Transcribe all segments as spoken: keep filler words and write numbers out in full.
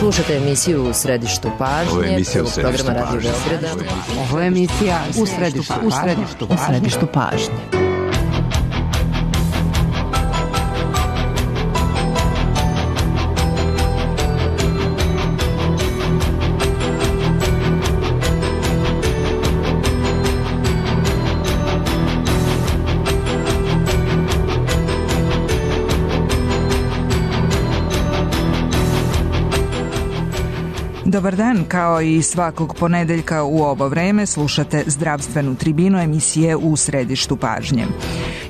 Slušate emisiju U središtu pažnje. Ovo je emisija U središtu programa Radio pažnje. Beograda. Ovo je emisija U središtu, u središtu, u središtu pažnje. Dobar dan, kao i svakog ponedeljka u ovo vreme slušate zdravstvenu tribinu emisije U središtu pažnje.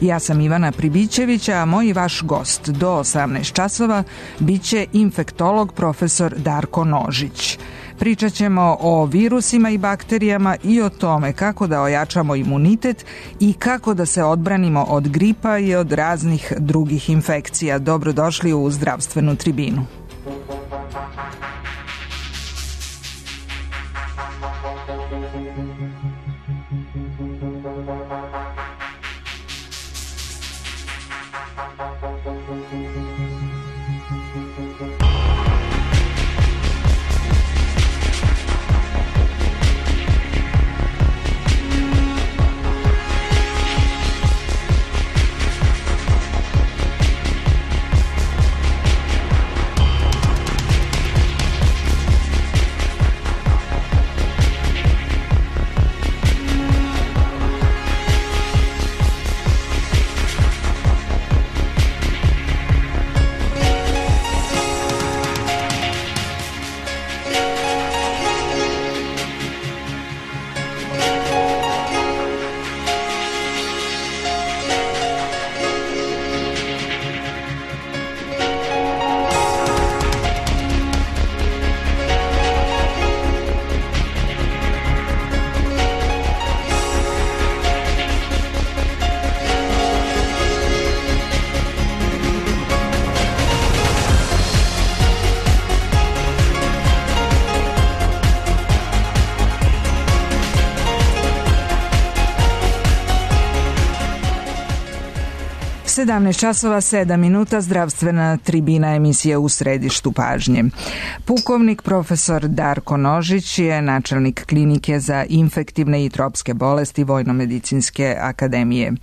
Ja sam Ivana Pribićević, a moj i vaš gost do osamnaest časova biće infektolog profesor Darko Nožić. Pričat ćemo o virusima i bakterijama i o tome kako da ojačamo imunitet i kako da se odbranimo od gripa i od raznih drugih infekcija. Dobrodošli u zdravstvenu tribinu. sedamnaest časova sedam minuta, zdravstvena tribina emisije U središtu pažnje. Pukovnik profesor Darko Nožić je načelnik klinike za infektivne i tropske bolesti Vojno-medicinske akademije.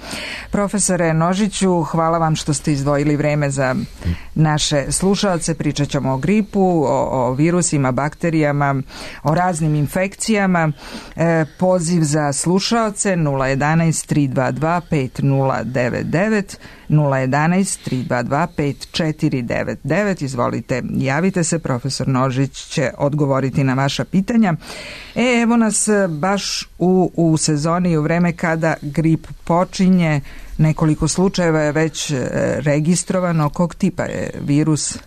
Profesore Nožiću, hvala vam što ste izdvojili vreme za naše slušaoce. Pričat ćemo o gripu, o, o virusima, bakterijama, o raznim infekcijama. E, poziv za slušaoce nula jedanaest tri dva dva pet nula devet devet, nula jedanaest tri dva dva pet četiri devet devet. Izvolite, javite se, profesor Nožić će odgovoriti na vaša pitanja. E, evo nas baš u, u sezoni, u vreme kada grip počinje. Nekoliko slučajeva je već registrovano. Kog tipa je virus?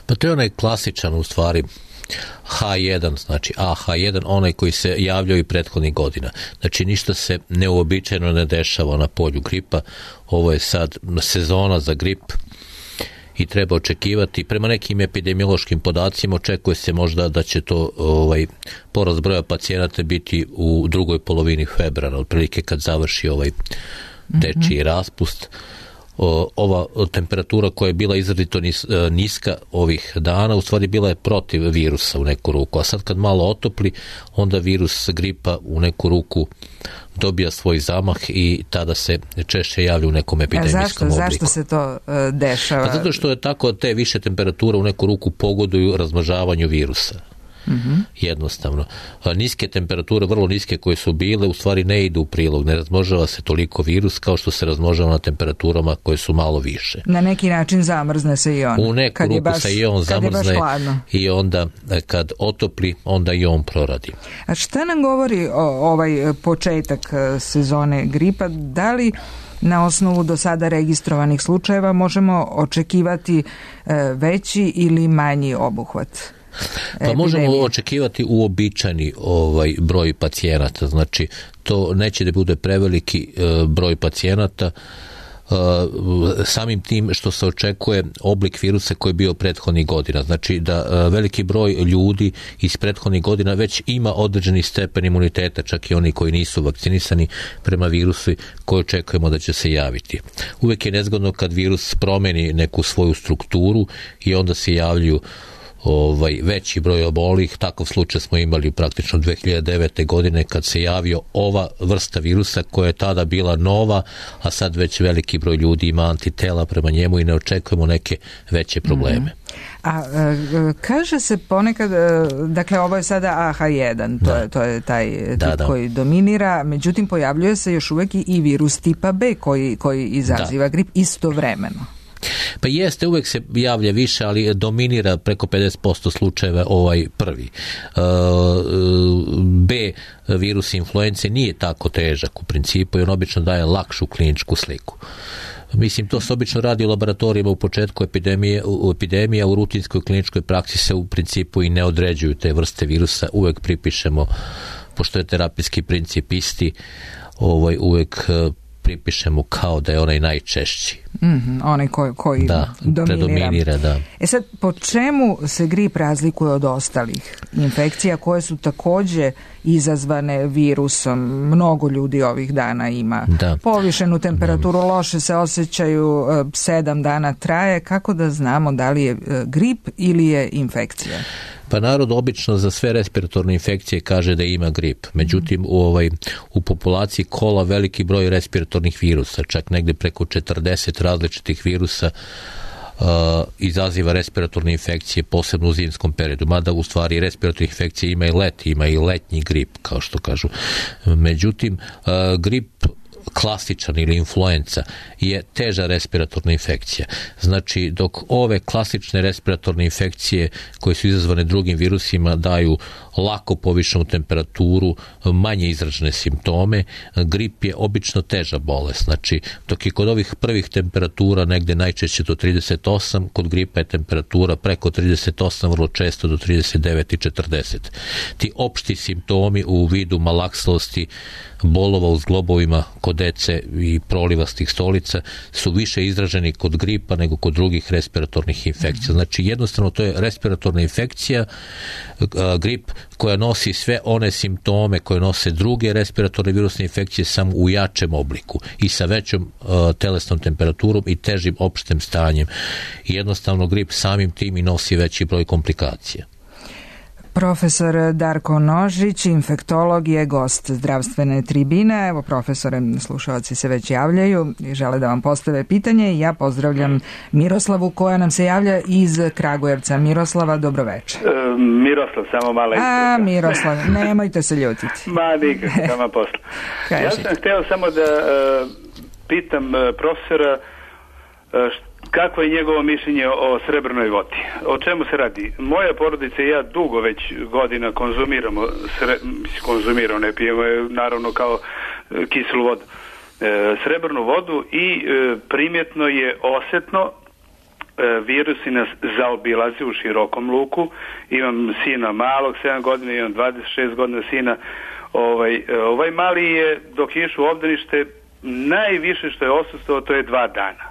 Pa to je onaj klasičan, u stvari, ha jedan, znači A H jedan, onaj koji se javljao i prethodnih godina. Znači ništa se neuobičajeno ne dešava na polju gripa. Ovo je sad sezona za grip i treba očekivati. Prema nekim epidemiološkim podacima očekuje se možda da će to ovaj, porast broja pacijenata biti u drugoj polovini februara, otprilike kad završi ovaj dečiji raspust. O, ova temperatura koja je bila izrazito nis, niska ovih dana, u stvari bila je protiv virusa u neku ruku, a sad kad malo otopli, onda virus gripa u neku ruku dobija svoj zamah i tada se češće javlja u nekom epidemijskom obliku. Zašto se to uh, dešava? Pa zato što je tako, te više temperature u neku ruku pogoduju razmnožavanju virusa. Mm-hmm. Jednostavno. Niske temperature, vrlo niske koje su bile, u stvari ne idu u prilog, ne razmnožava se toliko virus kao što se razmnožava na temperaturama koje su malo više. Na neki način zamrzne se i on. U neku kad ruku baš, se i on zamrzne i onda kad otopli, onda i on proradi. A šta nam govori o, ovaj početak sezone gripa? Da li na osnovu do sada registrovanih slučajeva možemo očekivati veći ili manji obuhvat? Pa možemo očekivati uobičajeni ovaj broj pacijenata, znači to neće da bude preveliki e, broj pacijenata, e, samim tim što se očekuje oblik virusa koji je bio prethodnih godina, znači da e, veliki broj ljudi iz prethodnih godina već ima određeni stepen imuniteta, čak i oni koji nisu vakcinisani prema virusu koji očekujemo da će se javiti. Uvijek je nezgodno kad virus promeni neku svoju strukturu i onda se javljaju ovaj, veći broj obolih. Takav slučaj smo imali praktično dve hiljade devete. godine kad se javio ova vrsta virusa koja je tada bila nova, a sad već veliki broj ljudi ima antitela prema njemu i ne očekujemo neke veće probleme. Mm-hmm. A e, kaže se ponekad, e, dakle ovo je sada A H jedan, to, je, to je taj tip da, da. koji dominira, međutim pojavljuje se još uvijek i virus tipa B koji, koji izaziva da. grip istovremeno. Pa jeste, uvijek se javlja više, ali dominira preko pedeset posto slučajeva ovaj prvi. B virus influence nije tako težak u principu i on obično daje lakšu kliničku sliku. Mislim, to se obično radi u laboratorijima u početku epidemije, u epidemije, u rutinskoj kliničkoj praksi se u principu i ne određuju te vrste virusa, uvijek pripišemo, pošto je terapijski princip isti, ovaj, uvijek pripišemo kao da je onaj najčešći. Mm-hmm, onaj koji, koji da, dominira. predominira. Da. E sad, po čemu se grip razlikuje od ostalih infekcija koje su također izazvane virusom? Mnogo ljudi ovih dana ima da. povišenu temperaturu, da. loše se osjećaju, sedam dana traje. Kako da znamo da li je grip ili je infekcija? Pa narod obično za sve respiratorne infekcije kaže da ima grip. Međutim, u, ovaj, u populaciji kola veliki broj respiratornih virusa, čak negdje preko četrdeset različitih virusa uh, izaziva respiratorne infekcije, posebno u zimskom periodu. Mada u stvari respiratornih infekcije ima i leti, ima i letnji grip, kao što kažu. Međutim, uh, grip klasičan ili influenca je teža respiratorna infekcija. Znači, dok ove klasične respiratorne infekcije koje su izazvane drugim virusima daju lako povišenu temperaturu, manje izražene simptome, grip je obično teža bolest. Znači, dok je kod ovih prvih temperatura negdje najčešće do trideset osam, kod gripa je temperatura preko trideset osam, vrlo često do trideset devet i četrdeset. Ti opšti simptomi u vidu malaksalosti, bolova u zglobovima kod dece i prolivastih stolica su više izraženi kod gripa nego kod drugih respiratornih infekcija. Znači, jednostavno to je respiratorna infekcija, grip koja nosi sve one simptome koje nose druge respiratorne virusne infekcije samo u jačem obliku i sa većom uh, telesnom temperaturom i težim opštem stanjem. I jednostavno grip samim tim i nosi veći broj komplikacija. Profesor Darko Nožić, infektolog, je gost zdravstvene tribine. Evo, profesore, slušalci se već javljaju i žele da vam postave pitanje. Ja pozdravljam Miroslavu koja nam se javlja iz Kragujevca. Miroslava, dobroveče. E, Miroslav, samo mala isprika. A, Miroslav, nemojte se ljutiti. Ma, nikako, tamo posla. Ja sam hteo samo da uh, pitam uh, profesora uh, kako je njegovo mišljenje o srebrnoj vodi? O čemu se radi? Moja porodica i ja dugo već godina konzumiramo, sre, konzumiramo, ne pijemo je naravno kao e, kiselu vodu, e, srebrnu vodu i e, primjetno je osjetno, e, virusi nas zaobilaze u širokom luku. Imam sina malog, sedam godina, imam dvadeset šest godina sina. Ovaj, ovaj mali je, dok je išao u obdanište, najviše što je osustvovao, to je dva dana.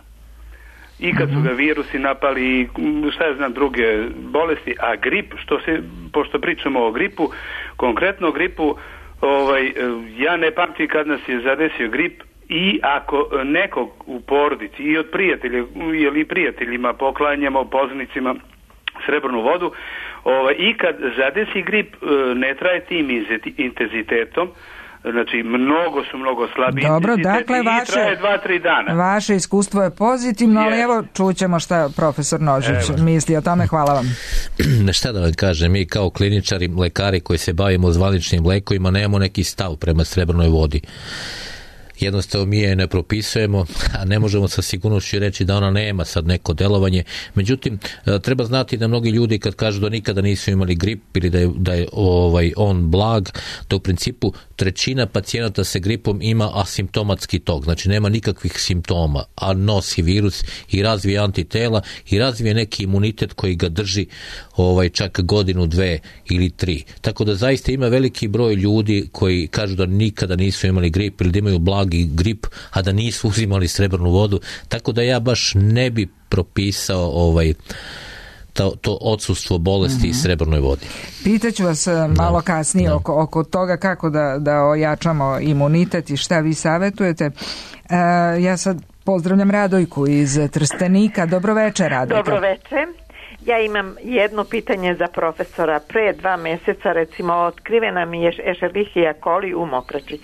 I kad su ga virusi napali, šta ja znam, druge bolesti, a grip, što se, pošto pričamo o gripu, konkretno o gripu, ovaj, ja ne pamtim kad nas je zadesio grip i ako nekog u porodici i od prijatelja, ili prijateljima poklanjamo, poznanicima, srebrnu vodu, ovaj, i kad zadesi grip, ne traje tim intenzitetom, znači mnogo su mnogo slabiji. Dobro, dakle, vaše, traje dva, tri dana. Vaše iskustvo je pozitivno, yes. ali evo čućemo šta profesor Nožić evo. misli o tome. Hvala vam. Šta da vam kažem, mi kao kliničari, lekari koji se bavimo zvaničnim lekovima nemamo neki stav prema srebrnoj vodi. Jednostavno mi je ne propisujemo, a ne možemo sa sigurnošću reći da ona nema sad neko delovanje. Međutim, treba znati da mnogi ljudi kad kažu da nikada nisu imali grip ili da je, da je ovaj, on blag, da u principu trećina pacijenata sa gripom ima asimptomatski tok, znači nema nikakvih simptoma, a nosi virus i razvije antitela i razvije neki imunitet koji ga drži ovaj, čak godinu, dve ili tri. Tako da zaista ima veliki broj ljudi koji kažu da nikada nisu imali grip ili da imaju blagi grip, a da nisu uzimali srebrnu vodu, tako da ja baš ne bi propisao ovaj to, to odsustvo bolesti mm-hmm. i srebrnoj vodi. Pitaću vas malo kasnije no. oko, oko toga kako da, da ojačamo imunitet i šta vi savjetujete. E, ja sad pozdravljam Radojku iz Trstenika. Dobroveče, Radojka. Dobroveče. Ja imam jedno pitanje za profesora. Pre dva mjeseca, recimo, otkrivena mi je Escherichia coli u mokraći.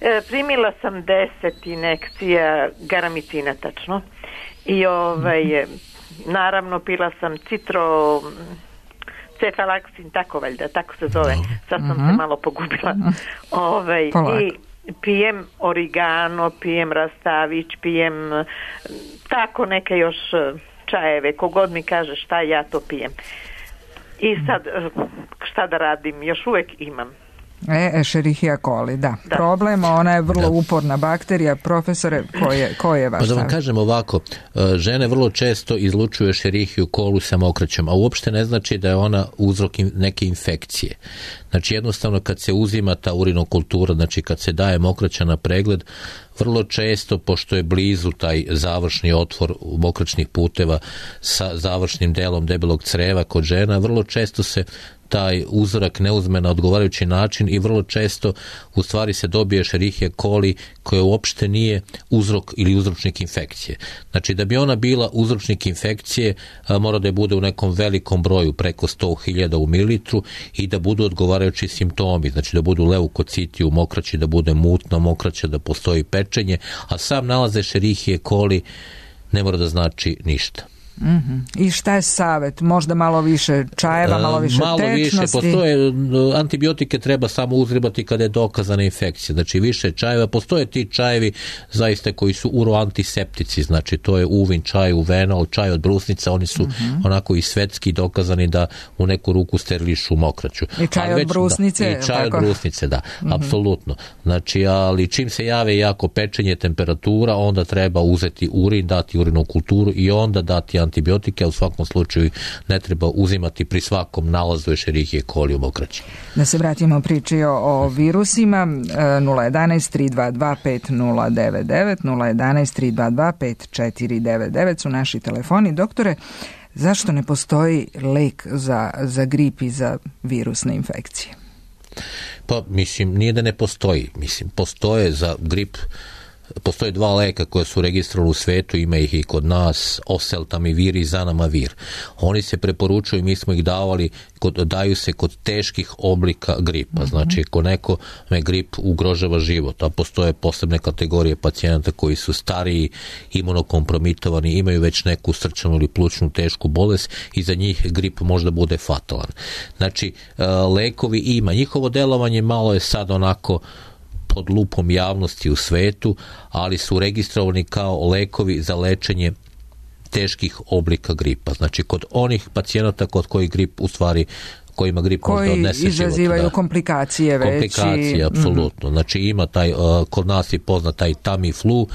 E, primila sam deset injekcija garamicina, tačno. I ovaj, naravno pila sam citro... cefalaksin, tako valjda, tako se zove. Sad sam uh-huh. se malo pogubila. Ovaj, i pijem origano, pijem rastavić, pijem tako neke još čajeve. Kogod mi kaže šta, ja to pijem. I sad šta da radim? Još uvijek imam. E, Escherichia coli, da. da. Problem, ona je vrlo da. uporna bakterija. Profesore, ko je, ko je vaš Pa da vam kažem ovako, žene vrlo često izlučuju Escherichia coli sa mokraćom, a uopšte ne znači da je ona uzrok neke infekcije. Znači jednostavno kad se uzima ta urinokultura, znači kad se daje mokraća na pregled, vrlo često, pošto je blizu taj završni otvor mokraćnih puteva sa završnim delom debelog creva kod žena, vrlo često se taj uzorak ne uzme na odgovarajući način i vrlo često u stvari se dobije Escherichia coli koja uopšte nije uzrok ili uzročnik infekcije. Znači da bi ona bila uzročnik infekcije mora da je bude u nekom velikom broju, preko sto hiljada u mililitru i da budu odgovarajući simptomi, znači da budu leukociti u mokraći, da bude mutna mokraća, da postoji pečenje, a sam nalaz Escherichia coli ne mora da znači ništa. Mm-hmm. I šta je savjet? Možda malo više čajeva, malo više malo tečnosti? Malo više, postoje, antibiotike treba samo uzribati kada je dokazana infekcija, znači više čajeva, postoje ti čajevi zaista koji su uroantiseptici, znači to je uvin čaj, uvenol, čaj od brusnica, oni su mm-hmm. onako i svetski dokazani da u neku ruku sterilišu mokraću. I čaj od brusnice? Da, I čaj tako? od brusnice, da, mm-hmm. apsolutno. Znači, ali čim se jave jako pečenje, temperatura, onda treba uzeti urin, dati urinu kulturu i onda dati antibiotike, a u svakom slučaju ne treba uzimati pri svakom nalazu Escherichia coli u mokraći. Da se vratimo priči o, o virusima, nula jedanaest tri dva dva pet nula devet devet, nula jedanaest tri dva dva pet četiri devet devet su naši telefoni. Doktore, zašto ne postoji lek za, za grip i za virusne infekcije? Pa, mislim, nije da ne postoji. Mislim, postoje za grip. Postoje dva leka koje su registrovali u svetu, ima ih i kod nas, oseltamivir i zanamavir. Oni se preporučuju, mi smo ih davali, kod, daju se kod teških oblika gripa. Mm-hmm. Znači, ako neko me grip ugrožava život, a postoje posebne kategorije pacijenata koji su stariji, imunokompromitovani, imaju već neku srčanu ili plućnu tešku bolest i za njih grip možda bude fatalan. Znači, lekovi ima. Njihovo delovanje malo je sad onako pod lupom javnosti u svetu, ali su registrovani kao lekovi za lečenje teških oblika gripa. Znači, kod onih pacijenata kod kojih grip u stvari kojima grip koji možda odnese život. Koji izazivaju komplikacije već. Komplikacije, apsolutno. Mm. Znači, ima taj, uh, kod nas je poznat taj Tamiflu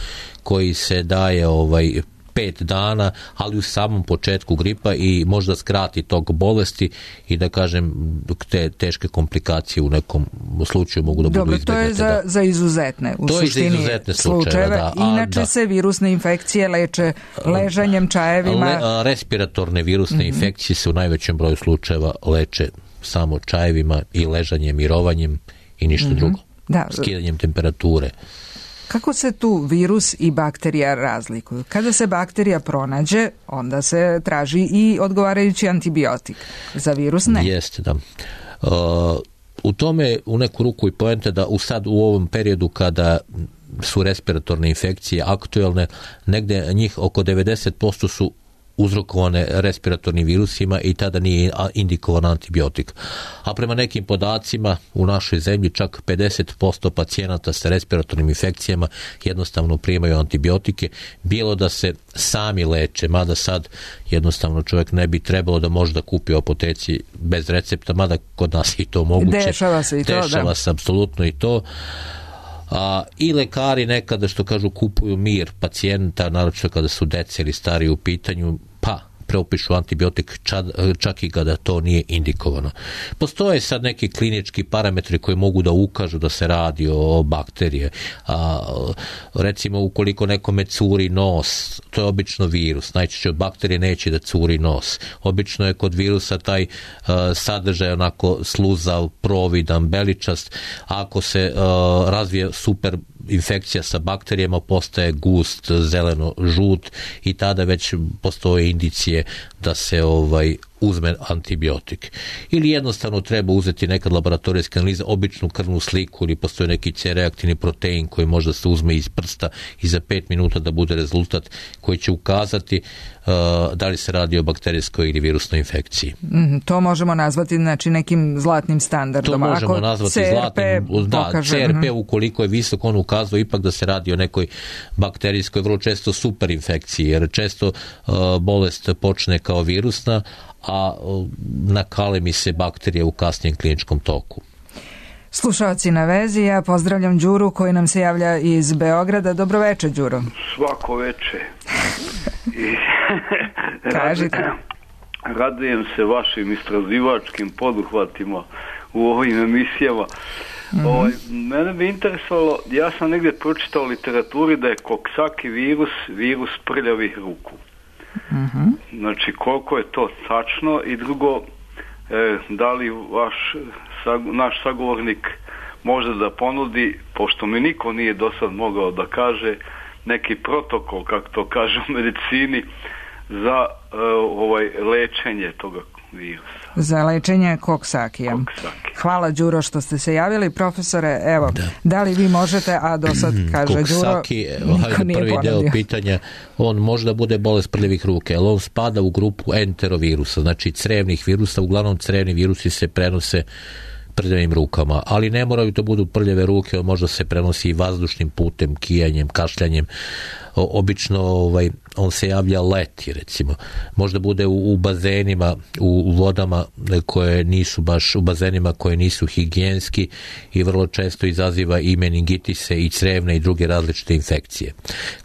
koji se daje ovaj pet dana, ali u samom početku gripa i možda skrati tog bolesti i da kažem te teške komplikacije u nekom slučaju mogu da budu Dobro, izbjegnute. to je za, za izuzetne u to suštini je za izuzetne slučajeve. Da. Inače da. se virusne infekcije leče ležanjem, čajevima. Le, respiratorne virusne mm-hmm. infekcije se u najvećem broju slučajeva leče samo čajevima i ležanjem, mirovanjem i ništa mm-hmm. drugo. Da. Skidanjem temperature. Kako se tu virus i bakterija razlikuju? Kada se bakterija pronađe, onda se traži i odgovarajući antibiotik. Za virus ne. Jeste, da. Uh, u tome u neku ruku i poenta da u sad u ovom periodu kada su respiratorne infekcije aktuelne, negde njih oko devedeset posto su uzrokovane respiratornim virusima i tada nije indikovan antibiotik. A prema nekim podacima u našoj zemlji čak pedeset posto pacijenata sa respiratornim infekcijama jednostavno primaju antibiotike, bilo da se sami leče, mada sad jednostavno čovjek ne bi trebalo da može da kupi u apoteci bez recepta, mada kod nas i to moguće. Dešava se i to, Dešava da. se apsolutno i to. A, i lekari nekada, što kažu, kupuju mir pacijenta, naročito kada su dece ili stari u pitanju, pa preopišu antibiotik čak, čak i kada to nije indikovano. Postoje sad neki klinički parametri koji mogu da ukažu da se radi o bakterije. A, recimo, ukoliko nekome curi nos, to je obično virus. Najčešće od bakterije neće da curi nos. Obično je kod virusa taj uh, sadržaj onako sluzav, providan, beličast. Ako se uh, razvije super infekcija sa bakterijama postaje gust, zeleno, žut i tada već postoje indicije da se ovaj uzme antibiotik. Ili jednostavno treba uzeti nekad laboratorijska analiza, običnu krvnu sliku ili postoji neki C-reaktivni protein koji možda se uzme iz prsta i za pet minuta da bude rezultat koji će ukazati uh, da li se radi o bakterijskoj ili virusnoj infekciji. Mm, to možemo nazvati znači nekim zlatnim standardom. To možemo Ako nazvati C R P zlatnim, da, pokaže, C R P ukoliko je visok, on ukazuje ipak da se radi o nekoj bakterijskoj, vrlo često superinfekciji, jer često uh, bolest počne kao virusna, a nakalemi se bakterije u kasnijem kliničkom toku. Slušalci na vezi, ja pozdravljam Đuru koji nam se javlja iz Beograda. Dobro večer, Đuro. Svako večer. I Kažite. Radujem se vašim istraživačkim poduhvatima u ovim emisijama. Mm-hmm. Ovaj, mene bi interesovalo, ja sam negdje pročitao u literaturi da je Coxsackie virus virus prljavih ruku. Mm-hmm. Znači koliko je to tačno i drugo, e, da li vaš sag, naš sagovornik može da ponudi, pošto mi niko nije do sad mogao da kaže neki protokol, kako to kaže u medicini, za e, ovaj lečenje toga virusa. Za lečenje Coxsackie. Hvala, Đuro, što ste se javili. Profesore, evo, da, da li vi možete, a do sad kaže Đuro, niko nije prvi ponudio. Deo pitanja, on možda bude bolest prljavih ruke, ali on spada u grupu enterovirusa, znači crevnih virusa, uglavnom crevni virusi se prenose prljavim rukama, ali ne moraju to budu prljave ruke, on možda se prenosi i vazdušnim putem, kijanjem, kašljanjem. O, obično ovaj, on se javlja leti, recimo. Možda bude u, u bazenima, u, u vodama koje nisu baš, u bazenima koje nisu higijenski i vrlo često izaziva i meningitise i crevne i druge različite infekcije.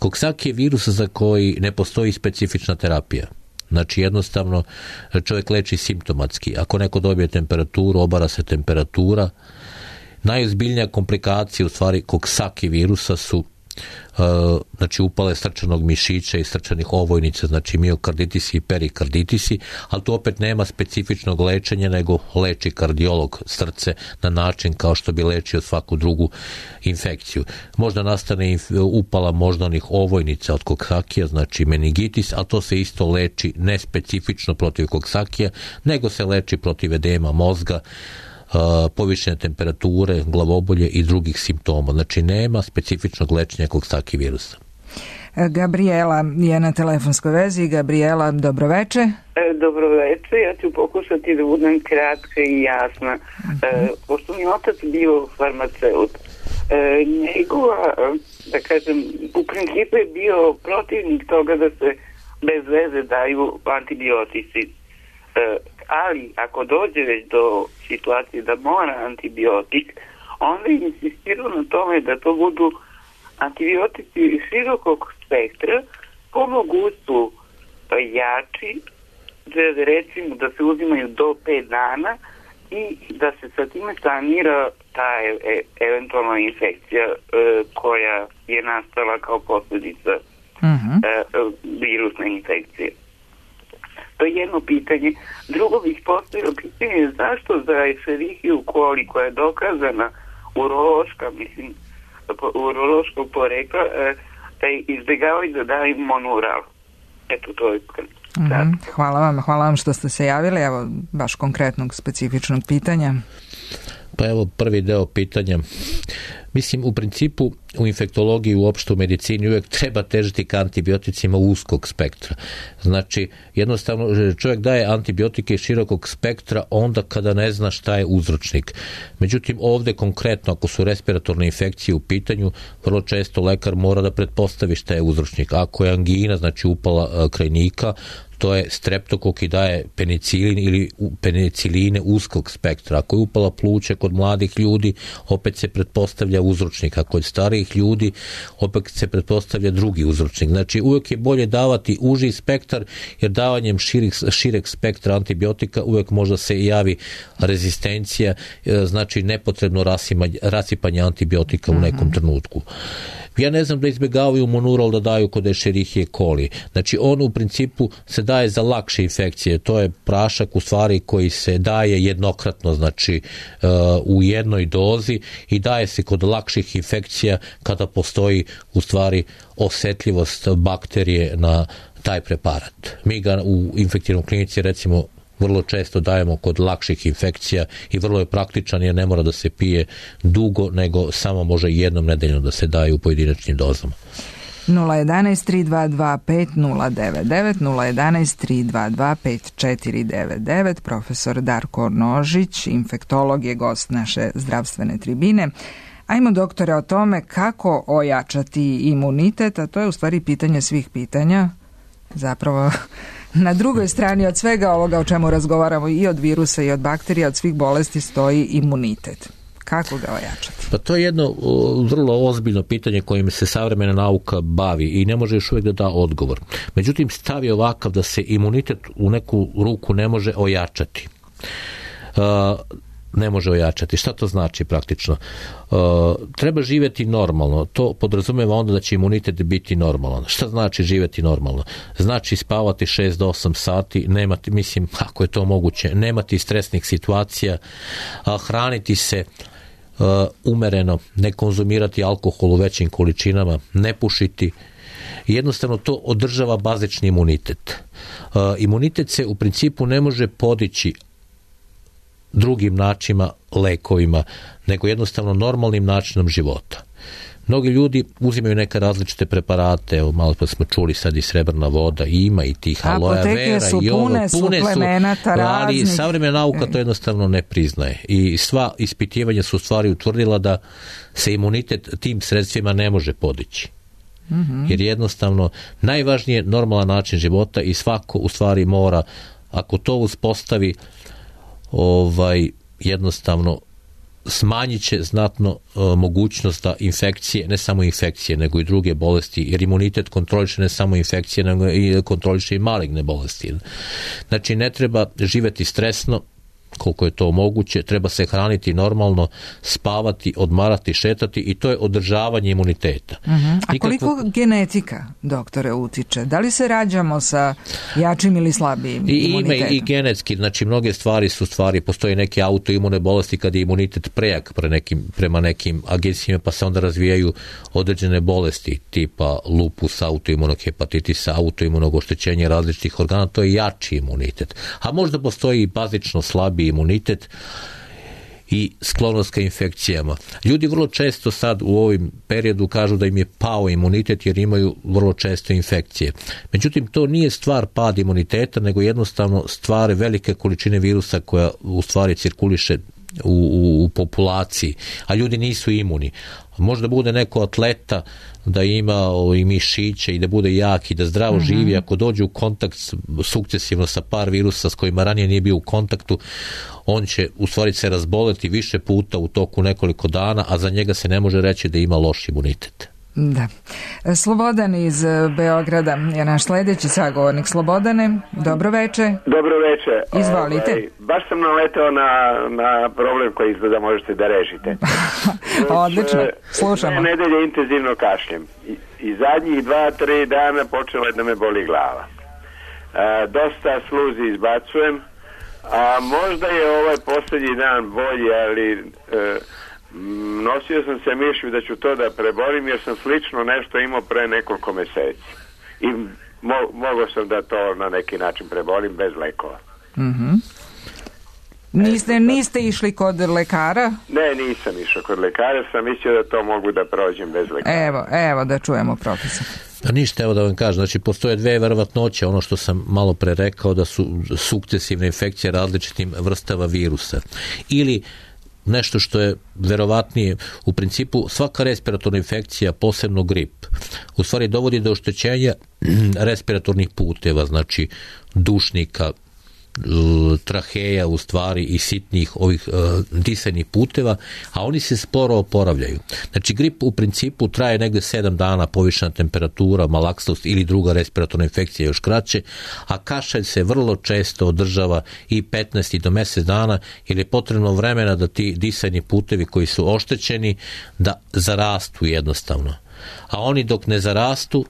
Coxsackie je virus za koji ne postoji specifična terapija. Znači jednostavno čovjek leči simptomatski. Ako neko dobije temperaturu, obara se temperatura. Najozbiljnija komplikacija u stvari Coxsackie virusa su uh, znači upale srčanog mišića i srčanih ovojnica, znači miokarditisi i perikarditisi, ali tu opet nema specifičnog lečenja, nego leči kardiolog srce na način kao što bi lečio svaku drugu infekciju. Možda nastane upala moždanih ovojnica od Coxsackie, znači meningitis, a to se isto leči ne specifično protiv Coxsackie, nego se leči protiv edema mozga, povišene temperature, glavobolje i drugih simptoma. Znači nema specifičnog lečenja Coxsackie virusa. Gabriela je na telefonskoj vezi. Gabriela, dobro veče. Dobro veče, ja ću pokušati da budem kratka i jasna. Uh-huh. Pošto mi otac bio farmaceut, njegova, da kažem, u principu je bio protivnik toga da se bez veze daju antibiotici. Ali ako dođe već do situacije da mora antibiotik, onda je insistirao na tome da to budu antibiotici širokog spektra, po mogućstvu jači, da recimo da se uzimaju do pet dana i da se sa time sanira ta e- e- eventualna infekcija e, koja je nastala kao posljedica uh-huh. e, virusne infekcije. To je jedno pitanje. Drugo bih postavio pitanje zašto za Escherichia coli koja je dokazana urološka, mislim, urološkog porekla, da izbjegavaju da daju monoral. Eto, to je mm-hmm. Hvala vam, hvala vam što ste se javili. Evo, baš konkretnog, specifičnog pitanja. Pa evo prvi deo pitanja. Mislim, u principu u infektologiji, uopšte u medicini uvijek treba težiti ka antibioticima uskog spektra. Znači, jednostavno čovjek daje antibiotike širokog spektra onda kada ne zna šta je uzročnik. Međutim, ovdje konkretno, ako su respiratorne infekcije u pitanju, vrlo često lekar mora da pretpostavi šta je uzročnik. Ako je angina, znači upala krajnika, to je streptokok i daje penicilin ili peniciline uskog spektra. Ako je upala pluća kod mladih ljudi, opet se pretpostavlja uzročnik. Ako je starijih ljudi, opet se pretpostavlja drugi uzročnik. Znači uvijek je bolje davati uži spektar, jer davanjem širih, šireg spektra antibiotika uvijek možda se javi rezistencija, znači nepotrebno rasipanje antibiotika u nekom trenutku. Ja ne znam da izbjegavaju monural da daju kod Escherichia coli. Znači on u principu se daje za lakše infekcije. To je prašak u stvari koji se daje jednokratno, znači uh, u jednoj dozi i daje se kod lakših infekcija kada postoji u stvari osjetljivost bakterije na taj preparat. Mi ga u infektivnoj klinici recimo vrlo često dajemo kod lakših infekcija i vrlo je praktičan jer ne mora da se pije dugo, nego samo može jednom nedeljno da se daje u pojedinačnim dozama. nula jedan tri dva dva pet nula devet devet nula jedan tri dva dva pet četiri devet devet. Profesor Darko Nožić, infektolog, je gost naše zdravstvene tribine. Ajmo, doktore, o tome kako ojačati imunitet, a to je u stvari pitanje svih pitanja. Zapravo na drugoj strani od svega ovoga o čemu razgovaramo, i od virusa i od bakterija, od svih bolesti, stoji imunitet. Kako ga ojačati? Pa to je jedno vrlo ozbiljno pitanje kojim se savremena nauka bavi i ne može još uvijek da da odgovor. Međutim, stav je ovakav da se imunitet u neku ruku ne može ojačati. Uh, ne može ojačati. Šta to znači praktično? Uh, treba živjeti normalno. To podrazumijeva onda da će imunitet biti normalan. Šta znači živjeti normalno? Znači spavati šest do osam sati, nemati, mislim, ako je to moguće, nemati stresnih situacija, uh, hraniti se uh, umereno, ne konzumirati alkohol u većim količinama, ne pušiti. Jednostavno to održava bazični imunitet. Uh, imunitet se u principu ne može podići drugim načinima, lekovima, nego jednostavno normalnim načinom života. Mnogi ljudi uzimaju neke različite preparate, evo malo pa smo čuli sad i srebrna voda, i ima i tih aloe vera i ovo, pune, pune su, ali savremena nauka to jednostavno ne priznaje i sva ispitivanja su u stvari utvrdila da se imunitet tim sredstvima ne može podići. Mm-hmm. Jer jednostavno najvažnije je normalan način života i svako u stvari mora, ako to uspostavi, ovaj jednostavno smanjit će znatno uh, mogućnost da infekcije, ne samo infekcije, nego i druge bolesti, jer imunitet kontroliše ne samo infekcije, nego i kontroliše i maligne bolesti. Znači ne treba živjeti stresno, koliko je to moguće, treba se hraniti normalno, spavati, odmarati, šetati i to je održavanje imuniteta. Uh-huh. A koliko Nikakvo... genetika, doktore, utiče? Da li se rađamo sa jačim ili slabijim I, imunitetom? Ime i genetski, znači mnoge stvari su stvari, postoje neke autoimune bolesti kad je imunitet prejak pre nekim, prema nekim agencijama, pa se onda razvijaju određene bolesti tipa lupus, autoimunog hepatitisa, autoimunog oštećenja različitih organa, to je jači imunitet. A možda postoji i bazično slabi imunitet i sklonost ka infekcijama. Ljudi vrlo često sad u ovim periodu kažu da im je pao imunitet jer imaju vrlo često infekcije. Međutim, to nije stvar pad imuniteta, nego jednostavno stvar velike količine virusa koja u stvari cirkuliše u, u, u populaciji, a ljudi nisu imuni. Možda bude neko atleta da ima i mišiće i da bude jak i da zdravo mm-hmm. živi, ako dođe u kontakt sukcesivno sa par virusa s kojima ranije nije bio u kontaktu, on će u stvari se razboleti više puta u toku nekoliko dana, a za njega se ne može reći da ima loš imunitet. Da. Slobodan iz Beograda je naš sljedeći sagovornik. Slobodane, dobro veče. Dobro veče. Izvolite. Ovaj, baš sam naletao na, na problem koji izgleda možete da rešite. Odlično, slušamo. Dve nedelje intenzivno kašljem. I, i zadnjih dva, tri dana počela je da me boli glava. A, dosta sluzi izbacujem, a možda je ovaj posljednji dan bolji, ali... E, nosio sam se mišlju da ću to da preborim jer sam slično nešto imao pre nekoliko meseci i mo- mogao sam da to na neki način preborim bez lekova. Mm-hmm. Niste, niste išli kod lekara? Ne, nisam išao kod lekara, sam mislio da to mogu da prođem bez lekara. Evo, evo da čujemo profesor. A ništa, evo da vam kažem, znači postoje dve verovatnoće, ono što sam malo pre rekao da su sukcesivne infekcije različitim vrstava virusa. Ili nešto što je verovatnije, u principu svaka respiratorna infekcija, posebno grip, u stvari dovodi do oštećenja respiratornih puteva, znači dušnika, traheja u stvari i sitnih ovih uh, disajnih puteva, a oni se sporo oporavljaju. Znači grip u principu traje negdje sedam dana, povišena temperatura, malaksnost ili druga respiratorna infekcija još kraće, a kašalj se vrlo često održava i petnaest do mjesec dana jer je potrebno vremena da ti disajni putevi koji su oštećeni da zarastu jednostavno. A oni dok ne zarastu,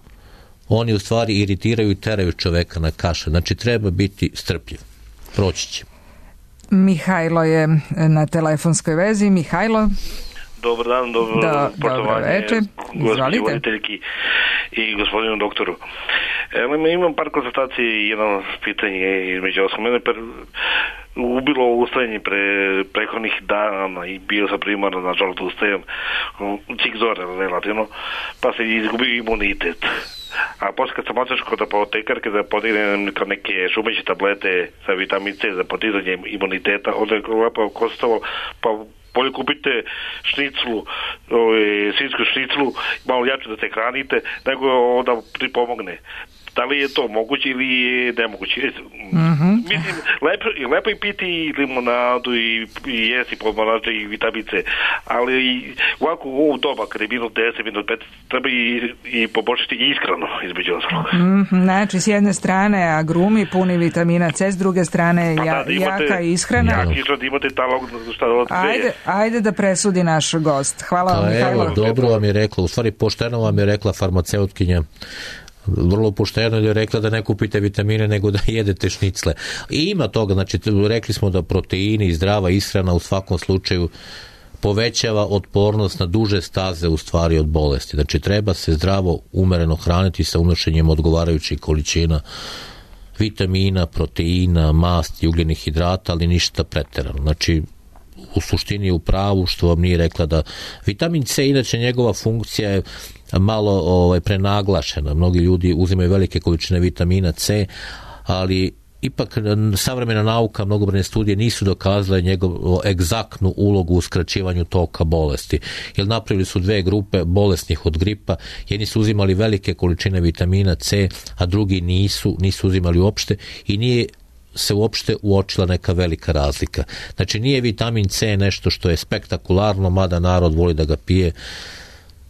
oni u stvari iritiraju i teraju čoveka na kašalj. Znači treba biti strpljiv. Proći će. Mihajlo je na telefonskoj vezi. Mihajlo. Dobar dan, dobro da, poštovanje gospođi voditeljki i gospodinu doktoru. Evo, imam par konstatacije i jedno pitanje između osam. Mene per, ubilo ustajanje pre prethodnih dana i bio sam primarno, nažalost ustajem cik zore relativno, pa se izgubio imunitet. A poslije kad sam otišao kod apotekarke da podignem neke šumeće tablete za vitamin C za podizanje imuniteta, onda je lepo kostalo, pa bolje kupite šniclu, svinjsku šniclu, malo jače da se hranite, nego onda pripomogne. Da li je to moguće ili je nemoguće? Mm-hmm. Mislim, lepo, lepo i piti i limonadu i, i jesti pomorače i vitamin C, ali ovako u ovu doba, kada je minut deset, minut pet, treba i, i poboljšati ishranu između ostalog. Mm-hmm. Znači, s jedne strane agrumi puni vitamina C, s druge strane pa ja, da, imate, jaka ishrana. Jaka ishrana, imate talog, šta od ajde, ajde da presudi naš gost. Hvala vam, Mihajlo. Evo, dobro vam je rekla, u stvari pošteno vam je rekla farmaceutkinja. Vrlo pošteno je rekla da ne kupite vitamine nego da jedete šnicle. I ima toga, znači rekli smo da proteini i zdrava ishrana u svakom slučaju povećava otpornost na duže staze u stvari od bolesti. Znači treba se zdravo, umereno hraniti sa unošenjem odgovarajućih količina vitamina, proteina, masti, ugljenih hidrata, ali ništa pretjerano. Znači u suštini je u pravu što vam nije rekla da vitamin C, inače njegova funkcija je malo ovaj, prenaglašena. Mnogi ljudi uzimaju velike količine vitamina C, ali ipak savremena nauka, mnogobrojne studije nisu dokazale njegovu egzaktnu ulogu u skraćivanju toka bolesti. Jer napravili su dve grupe bolesnih od gripa. Jedni su uzimali velike količine vitamina C, a drugi nisu, nisu uzimali uopšte i nije se uopšte uočila neka velika razlika. Znači nije vitamin C nešto što je spektakularno, mada narod voli da ga pije,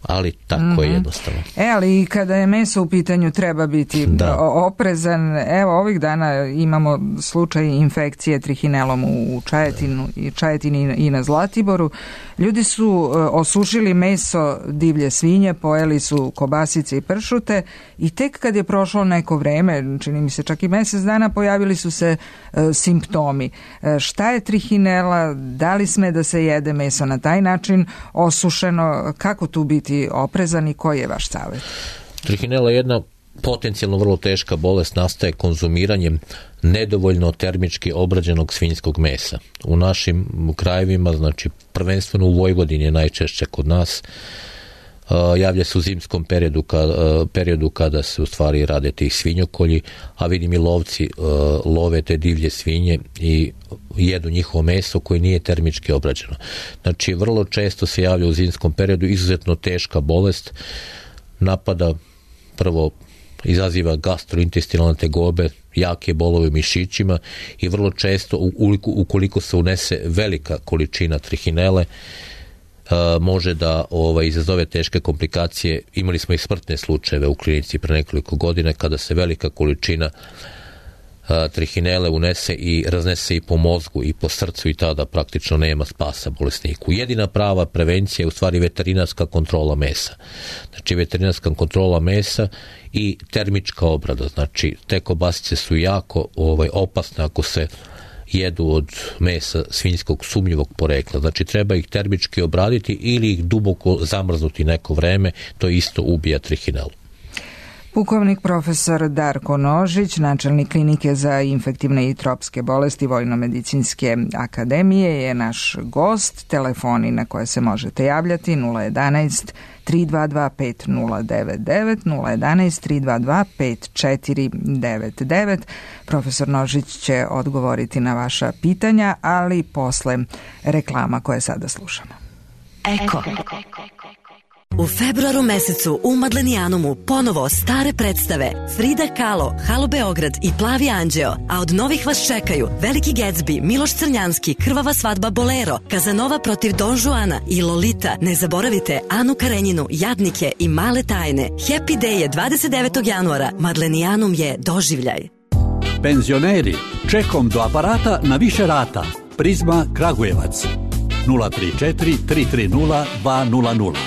ali tako mm-hmm. je jednostavno. E, ali i kada je meso u pitanju treba biti da. oprezan. Evo, ovih dana imamo slučaj infekcije trihinelom u Čajetinu, Čajetini i na Zlatiboru. Ljudi su osušili meso divlje svinje, pojeli su kobasice i pršute i tek kad je prošlo neko vreme, čini mi se čak i mjesec dana, pojavili su se e, simptomi. E, šta je trihinela? Da li sme da se jede meso na taj način osušeno? Kako tu biti oprezan i koji je vaš savjet? Trihinela je jedna potencijalno vrlo teška bolest, nastaje konzumiranjem nedovoljno termički obrađenog svinjskog mesa. U našim krajevima, znači prvenstveno u Vojvodini je najčešće kod nas, javlja se u zimskom periodu, kada, periodu kada se u stvari rade tih svinjokolji, a vidim i lovci love te divlje svinje i jedu njihovo meso koje nije termički obrađeno. Znači vrlo često se javlja u zimskom periodu, izuzetno teška bolest, napada prvo izaziva gastrointestinalne tegobe, jake bolove u mišićima i vrlo često ukoliko, ukoliko se unese velika količina trihinele, može da ovaj, izazove teške komplikacije. Imali smo i smrtne slučajeve u klinici pre nekoliko godina kada se velika količina a, trihinele unese i raznese i po mozgu i po srcu i tada praktično nema spasa bolesniku. Jedina prava prevencija je u stvari veterinarska kontrola mesa. Znači veterinarska kontrola mesa i termička obrada. Znači te kobasice su jako ovaj, opasne ako se jedu od mesa svinjskog sumnjivog porekla. Znači treba ih termički obraditi ili ih duboko zamrznuti neko vreme, to isto ubija trihinelu. Pukovnik profesor Darko Nožić, načelnik klinike za infektivne i tropske bolesti Vojno-medicinske akademije, je naš gost. Telefoni na koje se možete javljati nula jedanaest tri dva dva pet nula devet devet, nula jedanaest tri dva dva pet četiri devet devet. Profesor Nožić će odgovoriti na vaša pitanja, ali posle reklama koje sada slušamo. Eko. U februaru mesecu u Madlenijanumu ponovo stare predstave Frida Kahlo, Halo Beograd i Plavi anđeo, a od novih vas čekaju Veliki Gatsby, Miloš Crnjanski, Krvava svadba Bolero, Kazanova protiv Don Juana i Lolita. Ne zaboravite Anu Karenjinu, Jadnike i Male tajne. Happy Day je dvadeset devetog januara. Madlenijanum je doživljaj. Penzioneri, čekom do aparata na više rata. Prizma Kragujevac nula tri četiri tri tri nula dva nula nula.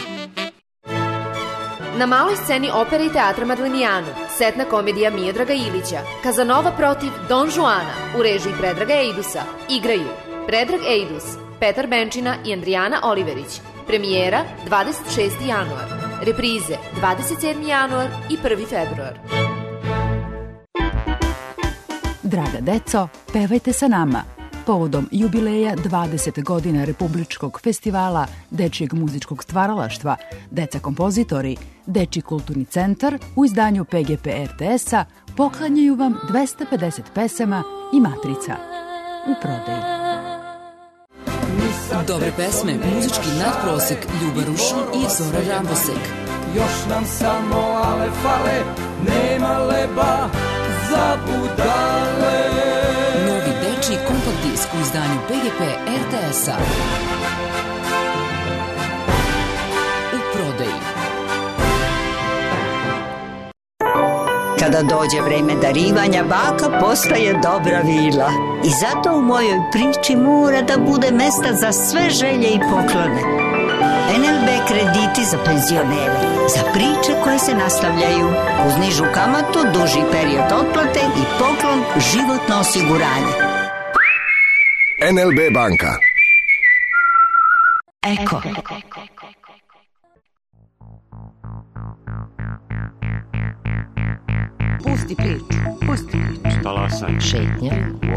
Na maloj sceni opere i teatra Madlenijanu, setna komedija Miodraga Ilića, Kazanova protiv Don Juana u režiji Predraga Ejdusa, igraju Predrag Ejdus, Petar Benčina i Andrijana Oliverić. Premijera dvadeset šesti januar, reprize dvadeset sedmi januar i prvi februar. Draga deco, pevajte sa nama. Povodom jubileja dvadeset godina Republičkog festivala Dečijeg muzičkog stvaralaštva, Deca kompozitori, Dečiji kulturni centar u izdanju P G P R T S-a poklanjaju vam dvesta pedeset pesama i matrica u prodaji. Dobre pesme, muzički nadprosek, Ljuba Rušin i Zora Rambosek. Još nam samo ale fale, nema leba za budale. Novi dečiji kompakt disk u izdanju P G P R T S-a. U prodaji. Kada dođe vreme darivanja, baka postaje dobra vila. I zato u mojoj priči mora da bude mesta za sve želje i poklone. N L B krediti za penzionere, za priče koje se nastavljaju, uz nižu kamatu, duži period otplate i poklon životno osiguranje. N L B banka. Eko. Pusti priču, pusti priču. Talasaj. Šetnja.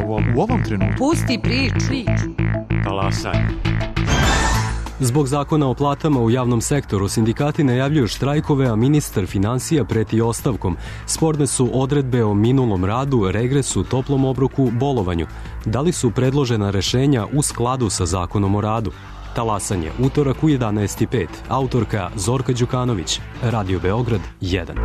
U ovom, u ovom trenutku. Pusti priču. Talasaj. Zbog zakona o platama u javnom sektoru sindikati najavljuju štrajkove, a ministar finansija preti ostavkom. Sporne su odredbe o minulom radu, regresu, toplom obroku, bolovanju. Da li su predložena rešenja u skladu sa zakonom o radu? Talasanje, utorak u jedanaest i pet. Autorka Zorka Đukanović. Radio Beograd jedan.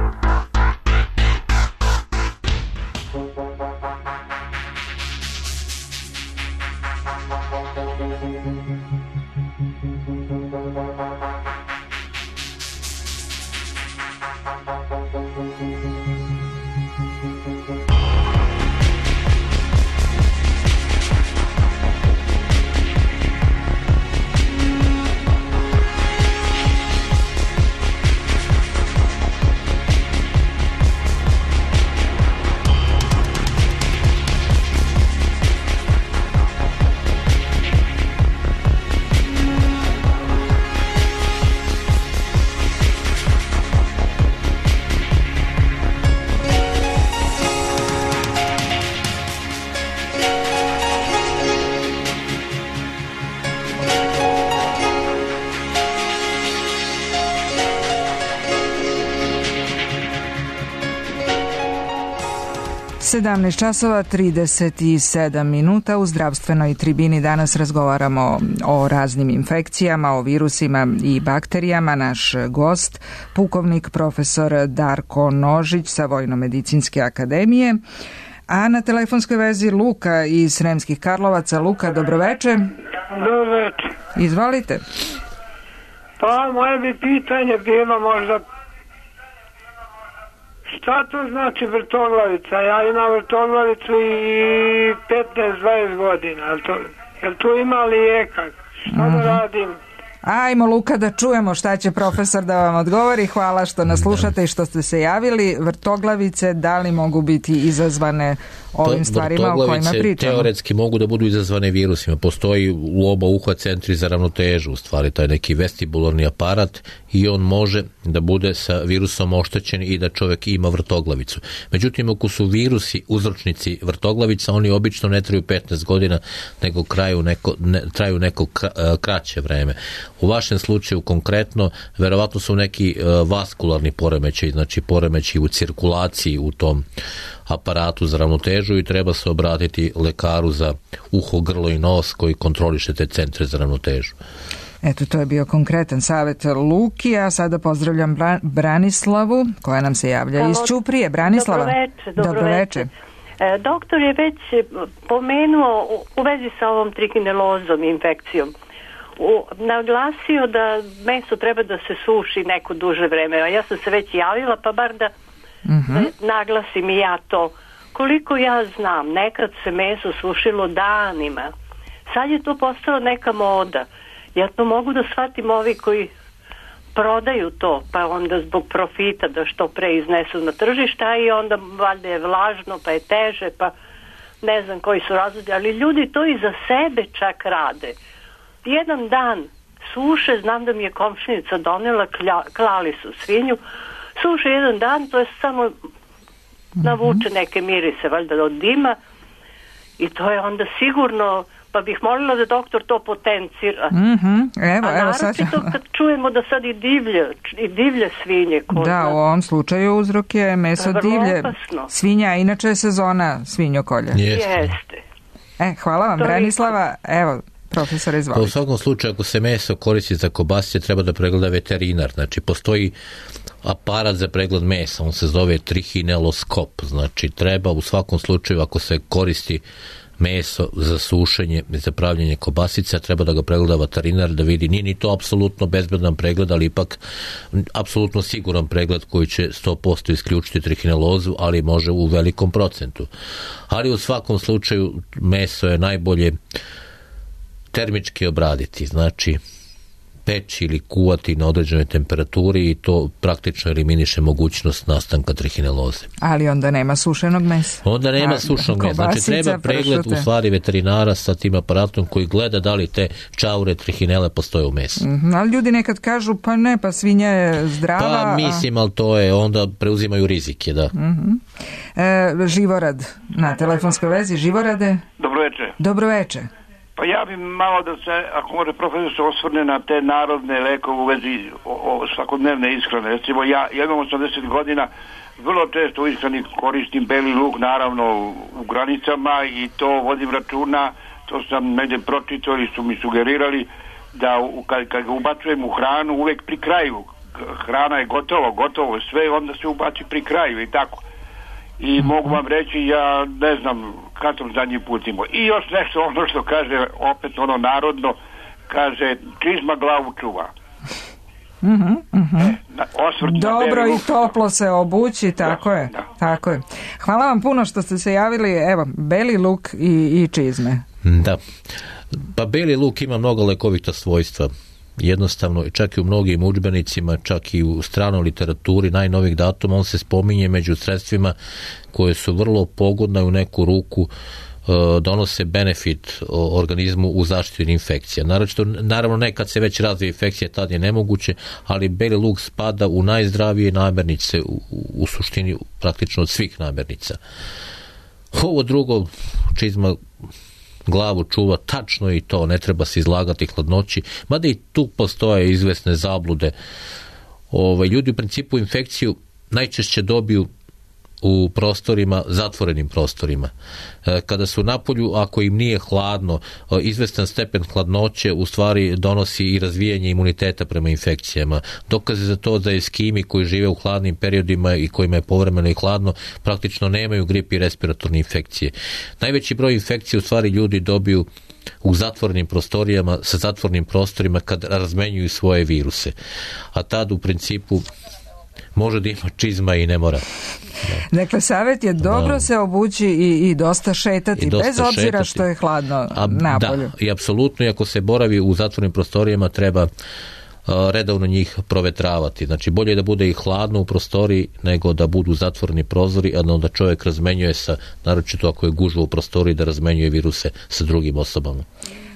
sedamnaest časova trideset sedam minuta. U zdravstvenoj tribini danas razgovaramo o raznim infekcijama, o virusima i bakterijama. Naš gost, pukovnik profesor Darko Nožić sa Vojno-medicinske akademije. A na telefonskoj vezi Luka iz Sremskih Karlovaca. Luka, dobroveče. Dobroveče. Izvolite. Pa, moje bi pitanje bilo možda šta to znači vrtoglavica? Ja imam vrtoglavicu i petnaest dvadeset godina. Jel, to, jel tu ima lijeka? Šta da radim? Ajmo, Luka, da čujemo šta će profesor da vam odgovori. Hvala što nas slušate i što ste se javili. Vrtoglavice, da li mogu biti izazvane ovim stvarima o kojima pričamo? Teoretski mogu da budu izazvane virusima. Postoji u oba uha centri za ravnotežu, u stvari taj neki vestibularni aparat, i on može da bude sa virusom oštećen i da čovjek ima vrtoglavicu. Međutim, ako su virusi uzročnici vrtoglavica, oni obično ne traju petnaest godina, nego kraju neko, ne, traju neko kraće vreme. U vašem slučaju konkretno, verovatno su neki uh, vaskularni poremećaj, znači poremećaj u cirkulaciji u tom aparatu za ravnotežu i treba se obratiti lekaru za uho, grlo i nos koji kontroliše te centre za ravnotežu. Eto, to je bio konkretan savjet Luki, a sada pozdravljam Bra- Branislavu, koja nam se javlja Halo. iz Ćuprije. Branislava. Dobroveče. Dobroveče. E, doktor je već pomenuo u, u vezi sa ovom trikinelozom infekcijom. U, naglasio da meso treba da se suši neko duže vreme. Ja sam se već javila, pa bar da uh-huh. naglasim i ja to. Koliko ja znam, nekad se meso sušilo danima. Sad je to postalo neka moda. Ja to mogu da shvatim ovi koji prodaju to, pa onda zbog profita da što pre iznesu na tržišta i onda valjda je vlažno, pa je teže, pa ne znam koji su razlozi, ali ljudi to i za sebe čak rade. Jedan dan suše, znam da mi je komšinica donela, klja, klali su svinju, suše jedan dan, to je samo navuče neke mirise, valjda od dima, i to je onda sigurno, pa bih molila da doktor to potencira. Mm-hmm. Evo, a evo sad. naročito kad čujemo da sad i divlje, i divlje svinje. Ko da, u ovom slučaju uzrok je meso vrlo divlje. Opasno. Svinja, inače je sezona svinjokolja. Jeste. Jeste. E, hvala vam, To je- Branislava. Evo, profesor, Pa u izvolite. svakom slučaju, ako se meso koristi za kobasice, treba da pregleda veterinar. Znači, postoji aparat za pregled mesa, on se zove trihineloskop. Znači, treba u svakom slučaju, ako se koristi meso za sušenje i za pravljenje kobasica, treba da ga pregleda veterinar, da vidi, nije ni to apsolutno bezbedan pregled, ali ipak apsolutno siguran pregled koji će sto posto isključiti trihinelozu, ali može u velikom procentu. Ali u svakom slučaju meso je najbolje termički obraditi, znači peći ili kuvati na određenoj temperaturi i to praktično eliminiše mogućnost nastanka trihineloze. Ali onda nema sušenog mesa. Onda nema A, sušenog mesa. Znači kobasica, treba pregled u pršute. stvari veterinara sa tim aparatom koji gleda da li te čaure trihinele postoje u mesu. Mhm, ali ljudi nekad kažu, pa ne, pa svinja je zdrava. Pa mislim, ali to je, onda preuzimaju rizike, da. Mhm. E, Živorad na telefonskoj vezi. Živorade, Dobro večer. dobro veče. Pa ja bi malo da se, ako može profesor se osvrne na te narodne lekove u vezi o, o svakodnevne ishrane. Recimo ja, ja imam osamdeset godina, vrlo često u ishrani koristim beli luk, naravno u granicama, i to vodim računa, to sam negdje pročitao ili su mi sugerirali da u, kad, kad ga ubacujem u hranu uvek pri kraju. Hrana je gotovo, gotovo sve, onda se ubaci pri kraju i tako. I mogu vam reći, ja ne znam kad sam zadnji put imao. I još nešto, ono što kaže, opet ono narodno, kaže, čizma glavu čuva. Mhm, mhm. Na, osvrt na Dobro beli i luk. toplo se obući, tako je. Tako je. Hvala vam puno što ste se javili. Evo, beli luk i, i čizme. Da. Pa beli luk ima mnogo lekovita svojstva. Jednostavno, čak i u mnogim udžbenicima, čak i u stranoj literaturi najnovih datuma, on se spominje među sredstvima koje su vrlo pogodne u neku ruku, donose benefit organizmu u zaštiti infekcija. Naravno, naravno ne kad se već razvije infekcija, tad je nemoguće, ali beli luk spada u najzdravije namirnice, u, u suštini praktično od svih namirnica. Ovo drugo, čizma glavu čuva, tačno i to, ne treba se izlagati hladnoći, mada i tu postoje izvesne zablude. Ove, ljudi u principu infekciju najčešće dobiju u prostorima, zatvorenim prostorima. Kada su napolju, ako im nije hladno, izvestan stepen hladnoće u stvari donosi i razvijanje imuniteta prema infekcijama. Dokaze za to da eskimi koji žive u hladnim periodima i kojima je povremeno i hladno, praktično nemaju grip i respiratorne infekcije. Najveći broj infekcija u stvari ljudi dobiju u zatvorenim prostorijama, sa zatvornim prostorima kad razmenjuju svoje viruse. A tad u principu može da ima čizma i ne mora. Da. Dakle, savjet je dobro Da. se obući i, i dosta šetati, I dosta bez obzira šetati. što je hladno A, napolju. Da, i apsolutno, i ako se boravi u zatvornim prostorijama, treba a, redovno njih provetravati. Znači, bolje je da bude i hladno u prostoriji nego da budu zatvoreni prozori, a da onda čovjek razmenjuje sa, naročito ako je gužva u prostoriji, da razmenjuje viruse sa drugim osobama.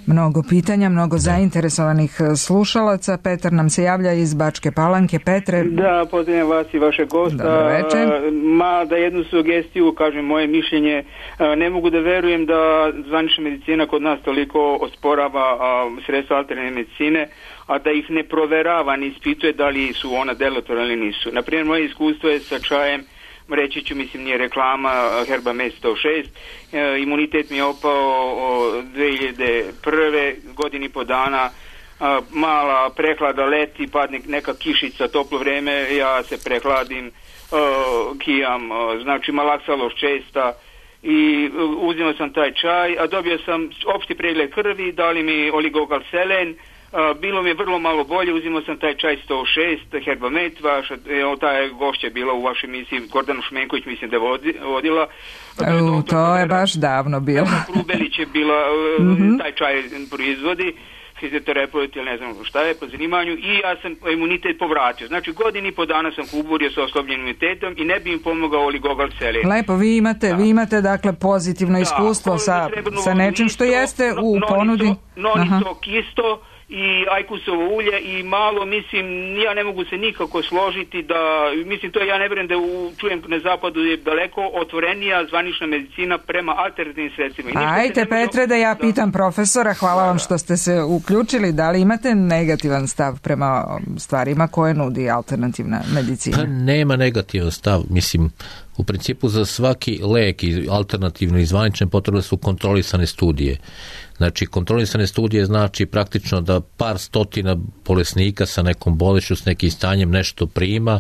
Mnogo pitanja, mnogo zainteresovanih slušalaca. Petar nam se javlja iz Bačke Palanke. Petre. Da, pozdravljam vas i vaše gosta. Dobro večer. Ma da jednu sugestiju, kažem moje mišljenje, ne mogu da verujem da zvanična medicina kod nas toliko osporava sredstva alternativne medicine, a da ih ne proverava, ne ispituje da li su ona delotvorna ili nisu. Naprimjer, moje iskustvo je sa čajem, reći ću, mislim, nije reklama, Herbamed sto šest, e, imunitet mi je opao o, dve hiljade prve, godini po dana, a, mala prehlada leti, padne neka kišica, toplo vreme, ja se prehladim, a, kijam, a, znači malaksaloš česta, i uzimao sam taj čaj, a dobio sam opšti pregled krvi, dali mi oligokalselen. Uh, bilo mi je vrlo malo bolje, uzimao sam taj čaj sto šest, Herbamed, vaša, evo, ta je gošća bila u vašoj emisiji, Gordana Šmenković, mislim da je vodi, vodila. U, to je baš davno bilo. Krubelić je bila, uh, mm-hmm. taj čaj proizvodi. fizioterapeuta ili ne znam šta je po zanimanju i ja sam imunitet povratio. Znači godini i po dana sam kuburio sa oslobljenim imunitetom i ne bi im pomogao oligogal selin. Lepo, vi imate, da. vi imate dakle pozitivno iskustvo da, sa, sa nečim što jeste u ponudi. Nonistok isto i ajkusovo ulje i malo, mislim, ja ne mogu se nikako složiti da, mislim, to ja ne vjerujem da u, čujem na zapadu je daleko otvorenija zvanična medicina prema alternativnim sredstvima. Ajte, Petre, da ja pitam da. profesora, hvala da, vam što ste se uključili, da li imate negativan stav prema stvarima koje nudi alternativna medicina? Pa nema negativan stav, mislim, u principu za svaki lek i alternativno i zvanične potrebne su kontrolisane studije. Znači, kontrolisane studije znači praktično da par stotina bolesnika sa nekom bolešću, s nekim stanjem nešto prima,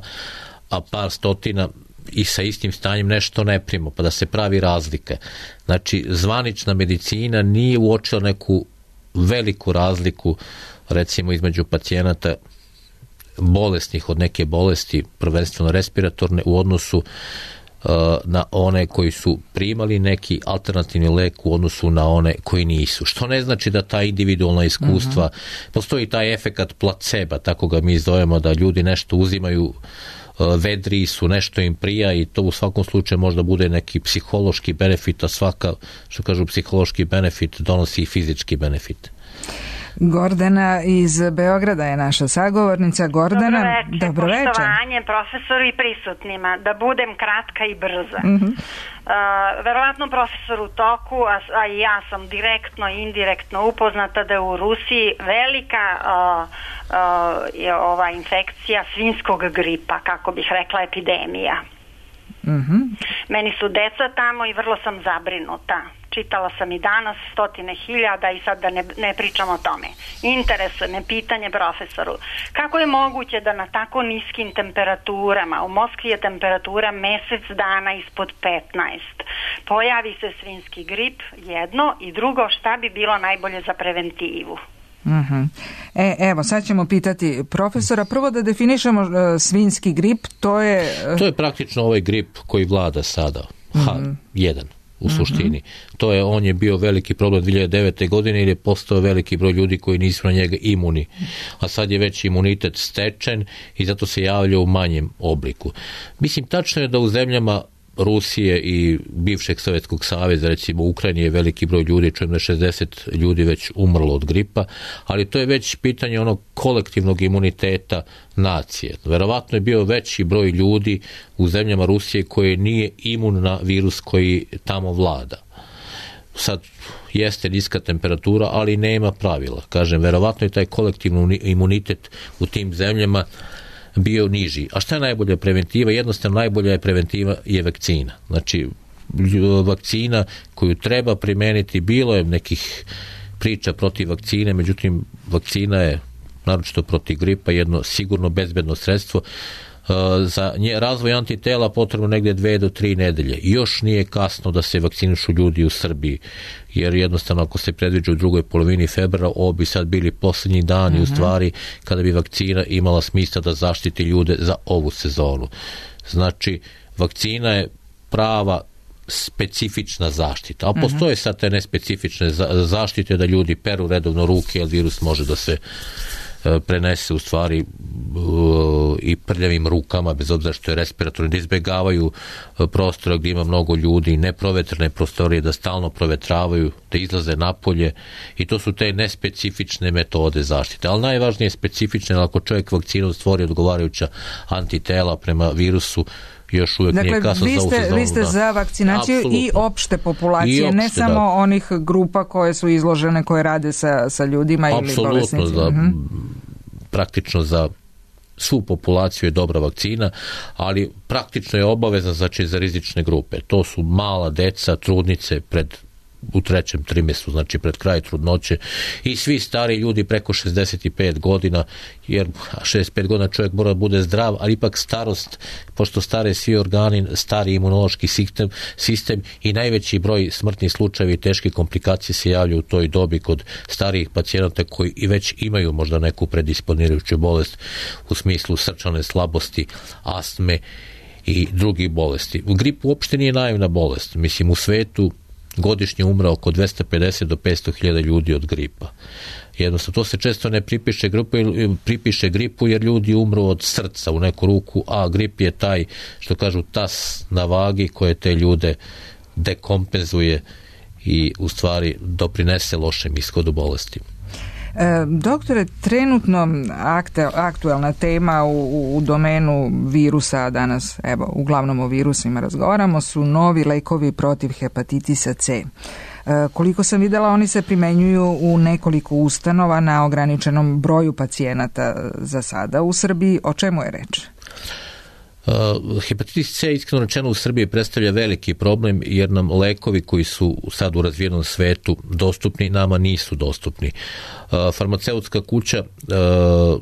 a par stotina i sa istim stanjem nešto ne prima, pa da se pravi razlike. Znači, zvanična medicina nije uočila neku veliku razliku, recimo, između pacijenata bolesnih od neke bolesti, prvenstveno respiratorne, u odnosu na one koji su primali neki alternativni lek u odnosu na one koji nisu. Što ne znači da ta individualna iskustva, uh-huh. postoji taj efekat placeba, tako ga mi zovemo, da ljudi nešto uzimaju, vedri su, nešto im prija i to u svakom slučaju možda bude neki psihološki benefit, a svaka, što kažu, psihološki benefit donosi i fizički benefit. Gordana iz Beograda je naša sagovornica. Gordana, dobro večer. Poštovanje profesoru i prisutnima. Da budem kratka i brza. Uh-huh. Uh, verovatno profesor u toku, a, a i ja sam direktno i indirektno upoznata da je u Rusiji velika uh, uh, je ova infekcija svinjskog gripa, kako bih rekla, epidemija. Uh-huh. Meni su deca tamo i vrlo sam zabrinuta. Čitala sam i danas stotine hiljada i sad da ne, ne pričam o tome. Interesuje me pitanje profesoru. Kako je moguće da na tako niskim temperaturama, u Moskvi je temperatura mesec dana ispod petnaest, pojavi se svinjski grip, jedno, i drugo, šta bi bilo najbolje za preventivu? Uh-huh. E, evo, sad ćemo pitati profesora. Prvo da definišemo uh, svinjski grip, to je... Uh... To je praktično ovaj grip koji vlada sada, H jedan. U suštini. Mm-hmm. To je, on je bio veliki problem dvije hiljade devete. godine jer je postao veliki broj ljudi koji nisu na njega imuni. A sad je već imunitet stečen i zato se javlja u manjem obliku. Mislim, tačno je da u zemljama Rusije i bivšeg Sovjetskog saveza, recimo u Ukrajini je veliki broj ljudi, čujem da je šezdeset ljudi već umrlo od gripa, ali to je već pitanje onog kolektivnog imuniteta nacije. Verovatno je bio veći broj ljudi u zemljama Rusije koji nije imun na virus koji tamo vlada. Sad jeste niska temperatura, ali nema pravila. Kažem, verovatno je taj kolektivni imunitet u tim zemljama bio niži. A šta je najbolja preventiva? Jednostavno najbolja je preventiva je vakcina. Znači, vakcina koju treba primeniti, bilo je nekih priča protiv vakcine, međutim, vakcina je, naročito protiv gripa, jedno sigurno bezbedno sredstvo. Za nje, razvoj antitela potrebno negdje dve do tri nedelje. Još nije kasno da se vakcinišu ljudi u Srbiji, jer jednostavno ako se predviđa u drugoj polovini februara, ovo bi sad bili posljednji dani uh-huh. u stvari kada bi vakcina imala smisla da zaštiti ljude za ovu sezonu. Znači, vakcina je prava specifična zaštita, a postoje sad te nespecifične zaštite da ljudi peru redovno ruke, jer virus može da se prenese u stvari i prljavim rukama, bez obzira što je respiratorni, da izbjegavaju prostora gdje ima mnogo ljudi, neprovetrene prostorije, da stalno provetravaju, da izlaze napolje, i to su te nespecifične metode zaštite. Ali najvažnije je specifične, ako čovjek vakcinom stvori odgovarajuća antitela prema virusu, još uvijek dakle, nije kasno za ovu sezonu. Vi ste za vakcinaciju Absolutno. i opšte populacije, I opšte, ne samo da. onih grupa koje su izložene, koje rade sa, sa ljudima Absolutno, ili bolesnicima. Za, mm-hmm. praktično za svu populaciju je dobra vakcina, ali praktično je obavezna, znači, za rizične grupe. To su mala deca, trudnice pred u trećem trimestru, znači pred kraj trudnoće, i svi stari ljudi preko šezdeset pet godina, jer šezdeset pet godina čovjek mora da bude zdrav, ali ipak starost, pošto stare svi organi, stari imunološki sistem, sistem i najveći broj smrtnih slučajeva i teške komplikacije se javljaju u toj dobi kod starijih pacijenata koji i već imaju možda neku predisponirajuću bolest u smislu srčane slabosti, astme i drugih bolesti. Grip uopšte nije naivna bolest. Mislim, u svetu godišnje umre oko dvesta pedeset do petsto hiljada ljudi od gripa. Jednostavno, to se često ne pripiše gripu, pripiše gripu jer ljudi umru od srca u neku ruku, a grip je taj, što kažu, tas na vagi koje te ljude dekompenzuje i u stvari doprinese lošem ishodu bolesti. E, doktore, trenutno akte, aktualna tema u, u domenu virusa, danas evo uglavnom o virusima razgovaramo, su novi lekovi protiv hepatitisa C. E, koliko sam vidjela, oni se primenjuju u nekoliko ustanova na ograničenom broju pacijenata za sada u Srbiji. O čemu je reč? Uh, hepatitis C, iskreno rečeno, u Srbiji predstavlja veliki problem jer nam lekovi koji su sad u razvijenom svetu dostupni, nama nisu dostupni. Uh, farmaceutska kuća uh,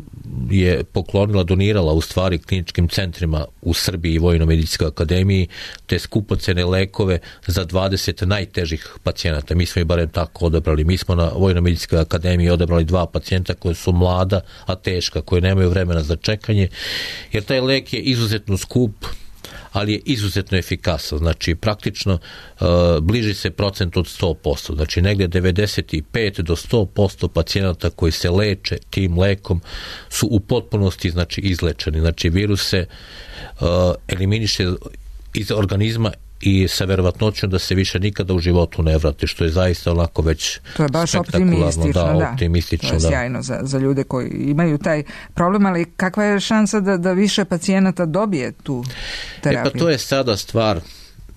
je poklonila, donirala u stvari kliničkim centrima u Srbiji i Vojno-medicinskoj akademiji te skupocene lekove za dvadeset najtežih pacijenata. Mi smo i barem tako odabrali. Mi smo na Vojno-medicinskoj akademiji odabrali dva pacijenta koje su mlada, a teška, koje nemaju vremena za čekanje, jer taj lek je izuzetno skup, ali je izuzetno efikasan. Znači, praktično uh, bliži se procent od sto posto. Znači, negdje devedeset pet do sto posto pacijenata koji se leče tim lekom su u potpunosti, znači, izlečeni. Znači, virus se uh, eliminiše iz organizma i sa verovatnoćom da se više nikada u životu ne vrati, što je zaista onako već to je baš optimistično, da, da. optimistično, to je sjajno za, za ljude koji imaju taj problem, ali kakva je šansa da, da više pacijenata dobije tu terapiju? E pa to je sada stvar.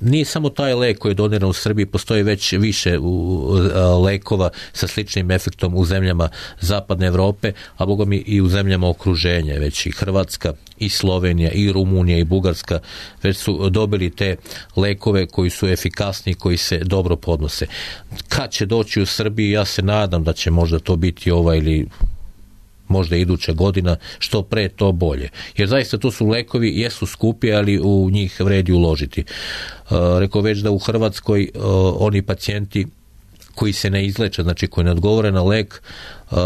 Nije samo taj lek koji je doniran u Srbiji, postoji već više u, a, lekova sa sličnim efektom u zemljama zapadne Evrope, a boga mi i u zemljama okruženja, već i Hrvatska, i Slovenija, i Rumunija, i Bugarska, već su dobili te lekove koji su efikasni, koji se dobro podnose. Kad će doći u Srbiji, ja se nadam da će možda to biti ova ili možda iduća godina, što pre to bolje. Jer zaista to su lekovi, jesu skupi, ali u njih vredi uložiti. Uh, rekao već da u Hrvatskoj uh, oni pacijenti koji se ne izleče, znači koji ne odgovore na lek, uh,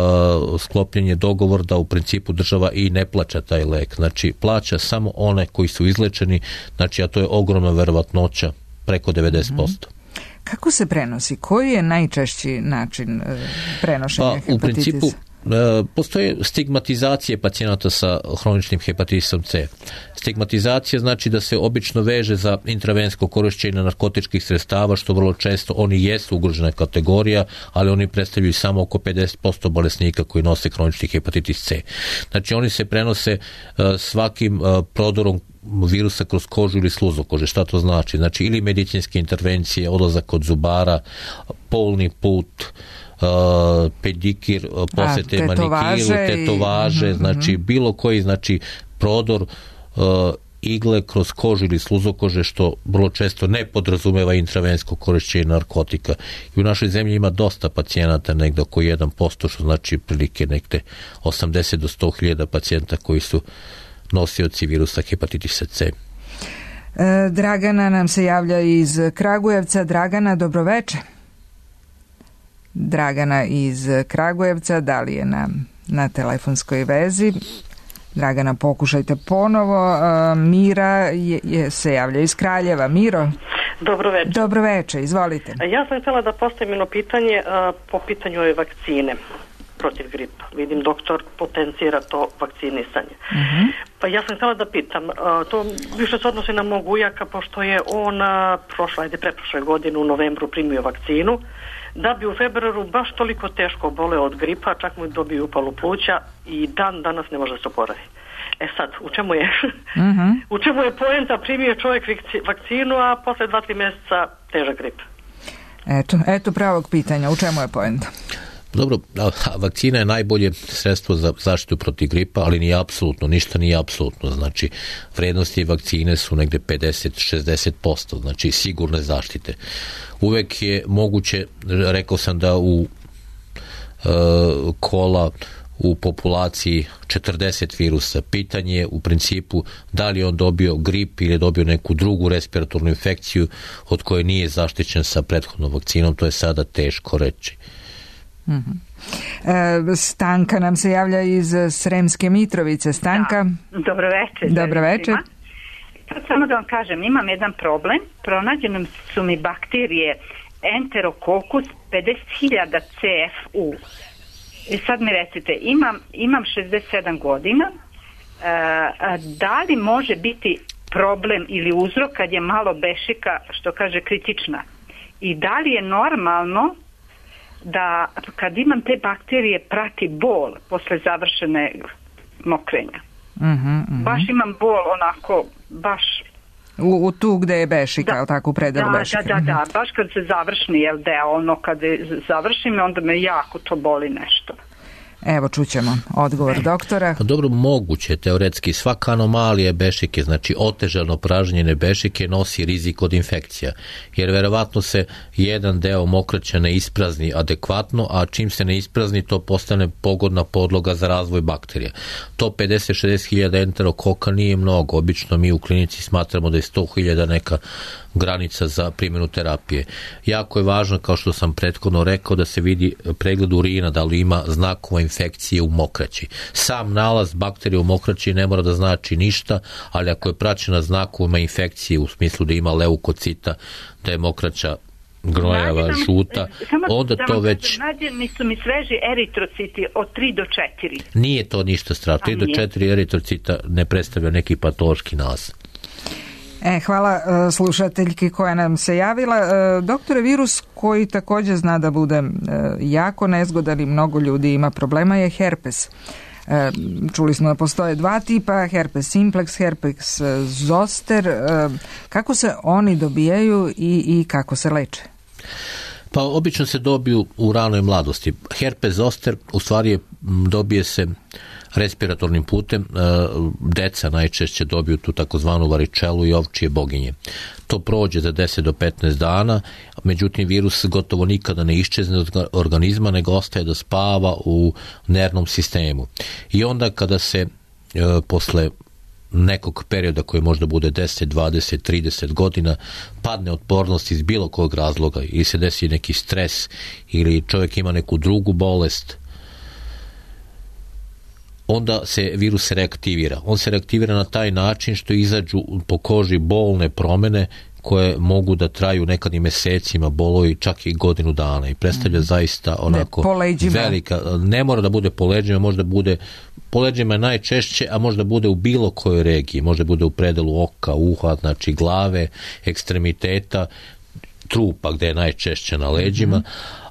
sklopljen je dogovor da u principu država i ne plaća taj lek. Znači plaća samo one koji su izlečeni, znači a to je ogromna verovatnoća, preko devedeset posto. Kako se prenosi? Koji je najčešći način uh, prenošenja pa, hepatitisa? U principu postoje stigmatizacije pacijenata sa hroničnim hepatitisom C. Stigmatizacija znači da se obično veže za intravensko korištenje narkotičkih sredstava, što vrlo često oni jesu ugrožena kategorija, ali oni predstavljaju samo oko pedeset posto bolesnika koji nose hronični hepatitis C. Znači oni se prenose svakim prodorom virusa kroz kožu ili sluzokože. Šta to znači? Znači ili medicinske intervencije, odlazak kod zubara, polni put, Uh, pedikir, uh, posete manikiru, tetovaže, i... znači bilo koji, znači prodor uh, igle kroz kožu ili sluzokože, što vrlo često ne podrazumeva intravensko korištenje narkotika. I u našoj zemlji ima dosta pacijenata, negdje oko jedan posto, što znači prilike negdje osamdeset do sto hiljada pacijenta koji su nosioci virusa hepatitisa C. E, Dragana nam se javlja iz Kragujevca. Dragana, dobroveče. Dragana iz Kragujevca, da li je na, na telefonskoj vezi? Dragana, pokušajte ponovo. Uh, Mira je, je, se javlja iz Kraljeva. Miro? Dobroveče. Dobroveče, izvolite. Ja sam htjela da postavim jedno pitanje uh, po pitanju ove vakcine protiv gripa. Vidim, doktor potencira to vakcinisanje. Uh-huh. Pa ja sam htjela da pitam, uh, to više se odnosi na mog ujaka, pošto je on uh, prošle, ajde, preprošle godine u novembru primio vakcinu, da bi u februaru baš toliko teško boleo od gripa, čak mu dobio upalu pluća i dan danas ne može se oporavi. E sad, u čemu je? Uh-huh. U čemu je poenta? Primio čovjek vakcinu, a posle dva, tri mjeseca težak grip. Eto, eto pravog pitanja. U čemu je poenta? Dobro, vakcina je najbolje sredstvo za zaštitu protiv gripa, ali nije apsolutno, ništa nije apsolutno. Znači, vrednosti vakcine su negdje pedeset do šezdeset posto, znači sigurne zaštite. Uvek je moguće, rekao sam da u e, kola u populaciji četrdeset virusa. Pitanje je u principu da li on dobio grip ili je dobio neku drugu respiratornu infekciju od koje nije zaštićen sa prethodnom vakcinom, to je sada teško reći. Mm-hmm. E, Stanka nam se javlja iz Sremske Mitrovice. Stanka? Da. Dobro večer. Dobro večer. Samo da vam kažem, imam jedan problem. Pronađene su mi bakterije enterokokus pedeset hiljada C F U. I sad mi recite, imam, imam šezdeset sedam godina, e, da li može biti problem ili uzrok kad je malo bešika, što kaže, kritična? I da li je normalno da kad imam te bakterije prati bol posle završene mokrenja? Mm-hmm, mm-hmm. Baš imam bol onako, baš... U, u tu gde je bešika, da, tako u predelu da, bešike. Da, da, da, baš kad se završni jel deo, ono kad završim, onda me jako to boli nešto. Evo, čućemo odgovor doktora. Dobro, moguće teoretski. Svaka anomalija bešike, znači otežano pražnjene bešike, nosi rizik od infekcija. Jer verovatno se jedan deo mokraća ne isprazni adekvatno, a čim se ne isprazni, to postane pogodna podloga za razvoj bakterija. To pedeset do šezdeset hiljada enterokoka nije mnogo. Obično mi u klinici smatramo da je sto hiljada neka granica za primjenu terapije. Jako je važno, kao što sam prethodno rekao, da se vidi pregled urina, da li ima znakova infekcije u mokraći. Sam nalaz bakterije u mokraći ne mora da znači ništa, ali ako je praćena znakovima infekcije u smislu da ima leukocita, da je mokraća gnojava, žuta, onda to već... Nađeni su mi sveži eritrociti od tri do četiri. Nije to ništa strašno. tri do četiri eritrocita ne predstavlja neki patološki nalaz. E, hvala uh, slušateljki koja nam se javila. Uh, doktore, virus koji također zna da bude uh, jako nezgodan i mnogo ljudi ima problema je herpes. Uh, čuli smo da postoje dva tipa, herpes simplex, herpes zoster. Uh, kako se oni dobijaju i, i kako se leče? Pa obično se dobiju u ranoj mladosti. Herpes zoster u stvari je, dobije se respiratornim putem, deca najčešće dobiju tu takozvanu varičelu i ovčije boginje. To prođe za deset do petnaest dana, međutim virus gotovo nikada ne iščezne od organizma, nego ostaje da spava u nervnom sistemu. I onda kada se posle nekog perioda koji možda bude deset, dvadeset, trideset godina padne otpornost iz bilo kog razloga ili se desi neki stres ili čovjek ima neku drugu bolest, onda se virus reaktivira. On se reaktivira na taj način što izađu po koži bolne promjene koje mogu da traju nekad i mesecima, bolovi čak i godinu dana i predstavlja mm. zaista onako ne, velika, ne mora da bude po leđima, možda bude po leđima najčešće, a možda bude u bilo kojoj regiji, možda bude u predelu oka, uha, znači glave, ekstremiteta, trupa gde je najčešće na leđima, mm.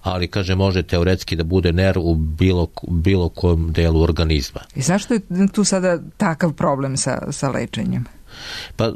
ali kaže može teoretski da bude nerv u bilo, bilo kojem delu organizma. I zašto je tu sada takav problem sa, sa lečenjem? Pa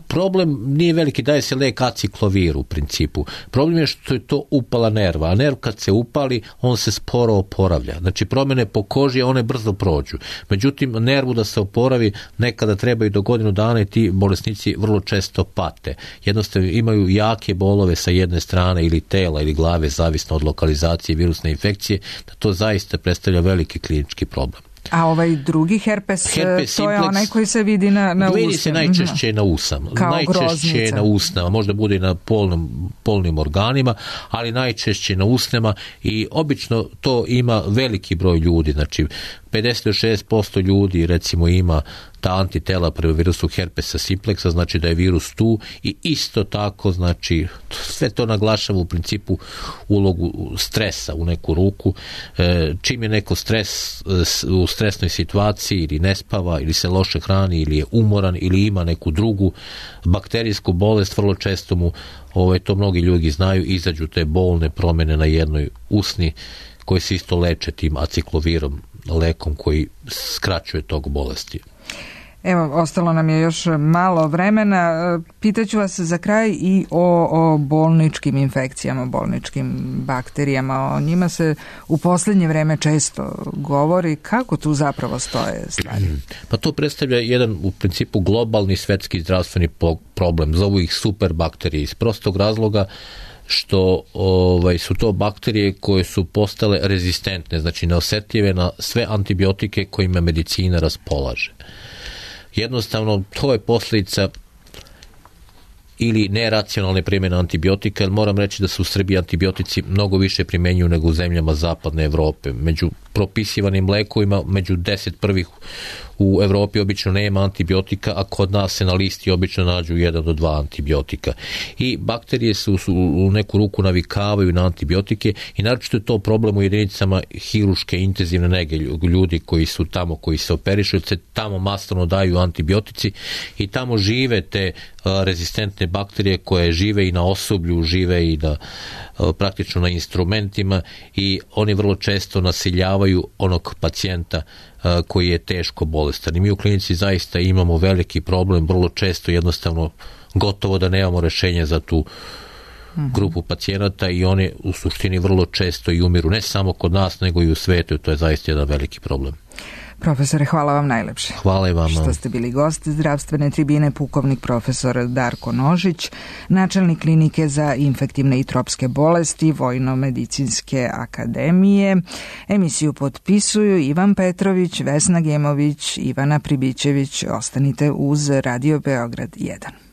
problem nije veliki, daje se lek aciklovir u principu. Problem je što je to upala nerva, a nerv kad se upali, on se sporo oporavlja. Znači promjene po koži, one brzo prođu. Međutim, nervu da se oporavi nekada treba i do godinu dana i ti bolesnici vrlo često pate. Jednostavno imaju jake bolove sa jedne strane ili tela ili glave, zavisno od lokalizacije virusne infekcije, da to zaista predstavlja veliki klinički problem. A ovaj drugi herpes, herpes to je simplex, onaj koji se vidi na, na usama. Vidi se najčešće na usama. Kao najčešće groznica. Na usnama, možda bude i na polnom, polnim organima, ali najčešće na usnama i obično to ima veliki broj ljudi, znači pedeset do šezdeset posto ljudi recimo ima ta antitela prema virusu herpesa simplexa, znači da je virus tu i isto tako, znači sve to naglašava u principu ulogu stresa u neku ruku. E, čim je neko stres u stresnoj situaciji ili ne spava ili se loše hrani ili je umoran ili ima neku drugu bakterijsku bolest, vrlo često mu, ovaj, to mnogi ljudi znaju, izađu te bolne promjene na jednoj usni koje se isto leče tim aciklovirom, lekom koji skraćuje tog bolesti. Evo, ostalo nam je još malo vremena. Pitaću vas za kraj i o, o bolničkim infekcijama, bolničkim bakterijama. O njima se u posljednje vreme često govori. Kako tu zapravo stoje stvari? Pa to predstavlja jedan u principu globalni svetski zdravstveni problem. Zovu ih superbakterije iz prostog razloga što ovaj, su to bakterije koje su postale rezistentne, znači neosjetljive na sve antibiotike kojima medicina raspolaže. Jednostavno, to je posljedica ili neracionalne primjene antibiotika, jer moram reći da su u Srbiji antibiotici mnogo više primjenjuju nego u zemljama zapadne Evrope. Među propisivanim lekovima među deset prvih u Europi obično nema antibiotika, a kod nas se na listi obično nađu jedan do dva antibiotika. I bakterije se u, u neku ruku navikavaju na antibiotike i naročito je to problem u jedinicama hiruške intenzivne nege, ljudi koji su tamo, koji se operišu, se tamo masovno daju antibiotici i tamo žive te a, rezistentne bakterije koje žive i na osoblju, žive i na a, praktično na instrumentima i oni vrlo često nasiljavaju onog pacijenta koji je teško bolestan. I mi u klinici zaista imamo veliki problem, vrlo često jednostavno gotovo da nemamo rešenje za tu grupu pacijenata i oni u suštini vrlo često i umiru, ne samo kod nas, nego i u svetu. To je zaista jedan veliki problem. Profesore, hvala vam najlepše. Hvala i vama. Što ste bili gost zdravstvene tribine, pukovnik profesor Darko Nožić, načelnik klinike za infektivne i tropske bolesti Vojno-medicinske akademije. Emisiju potpisuju Ivan Petrović, Vesna Gemović, Ivana Pribićević. Ostanite uz Radio Beograd jedan.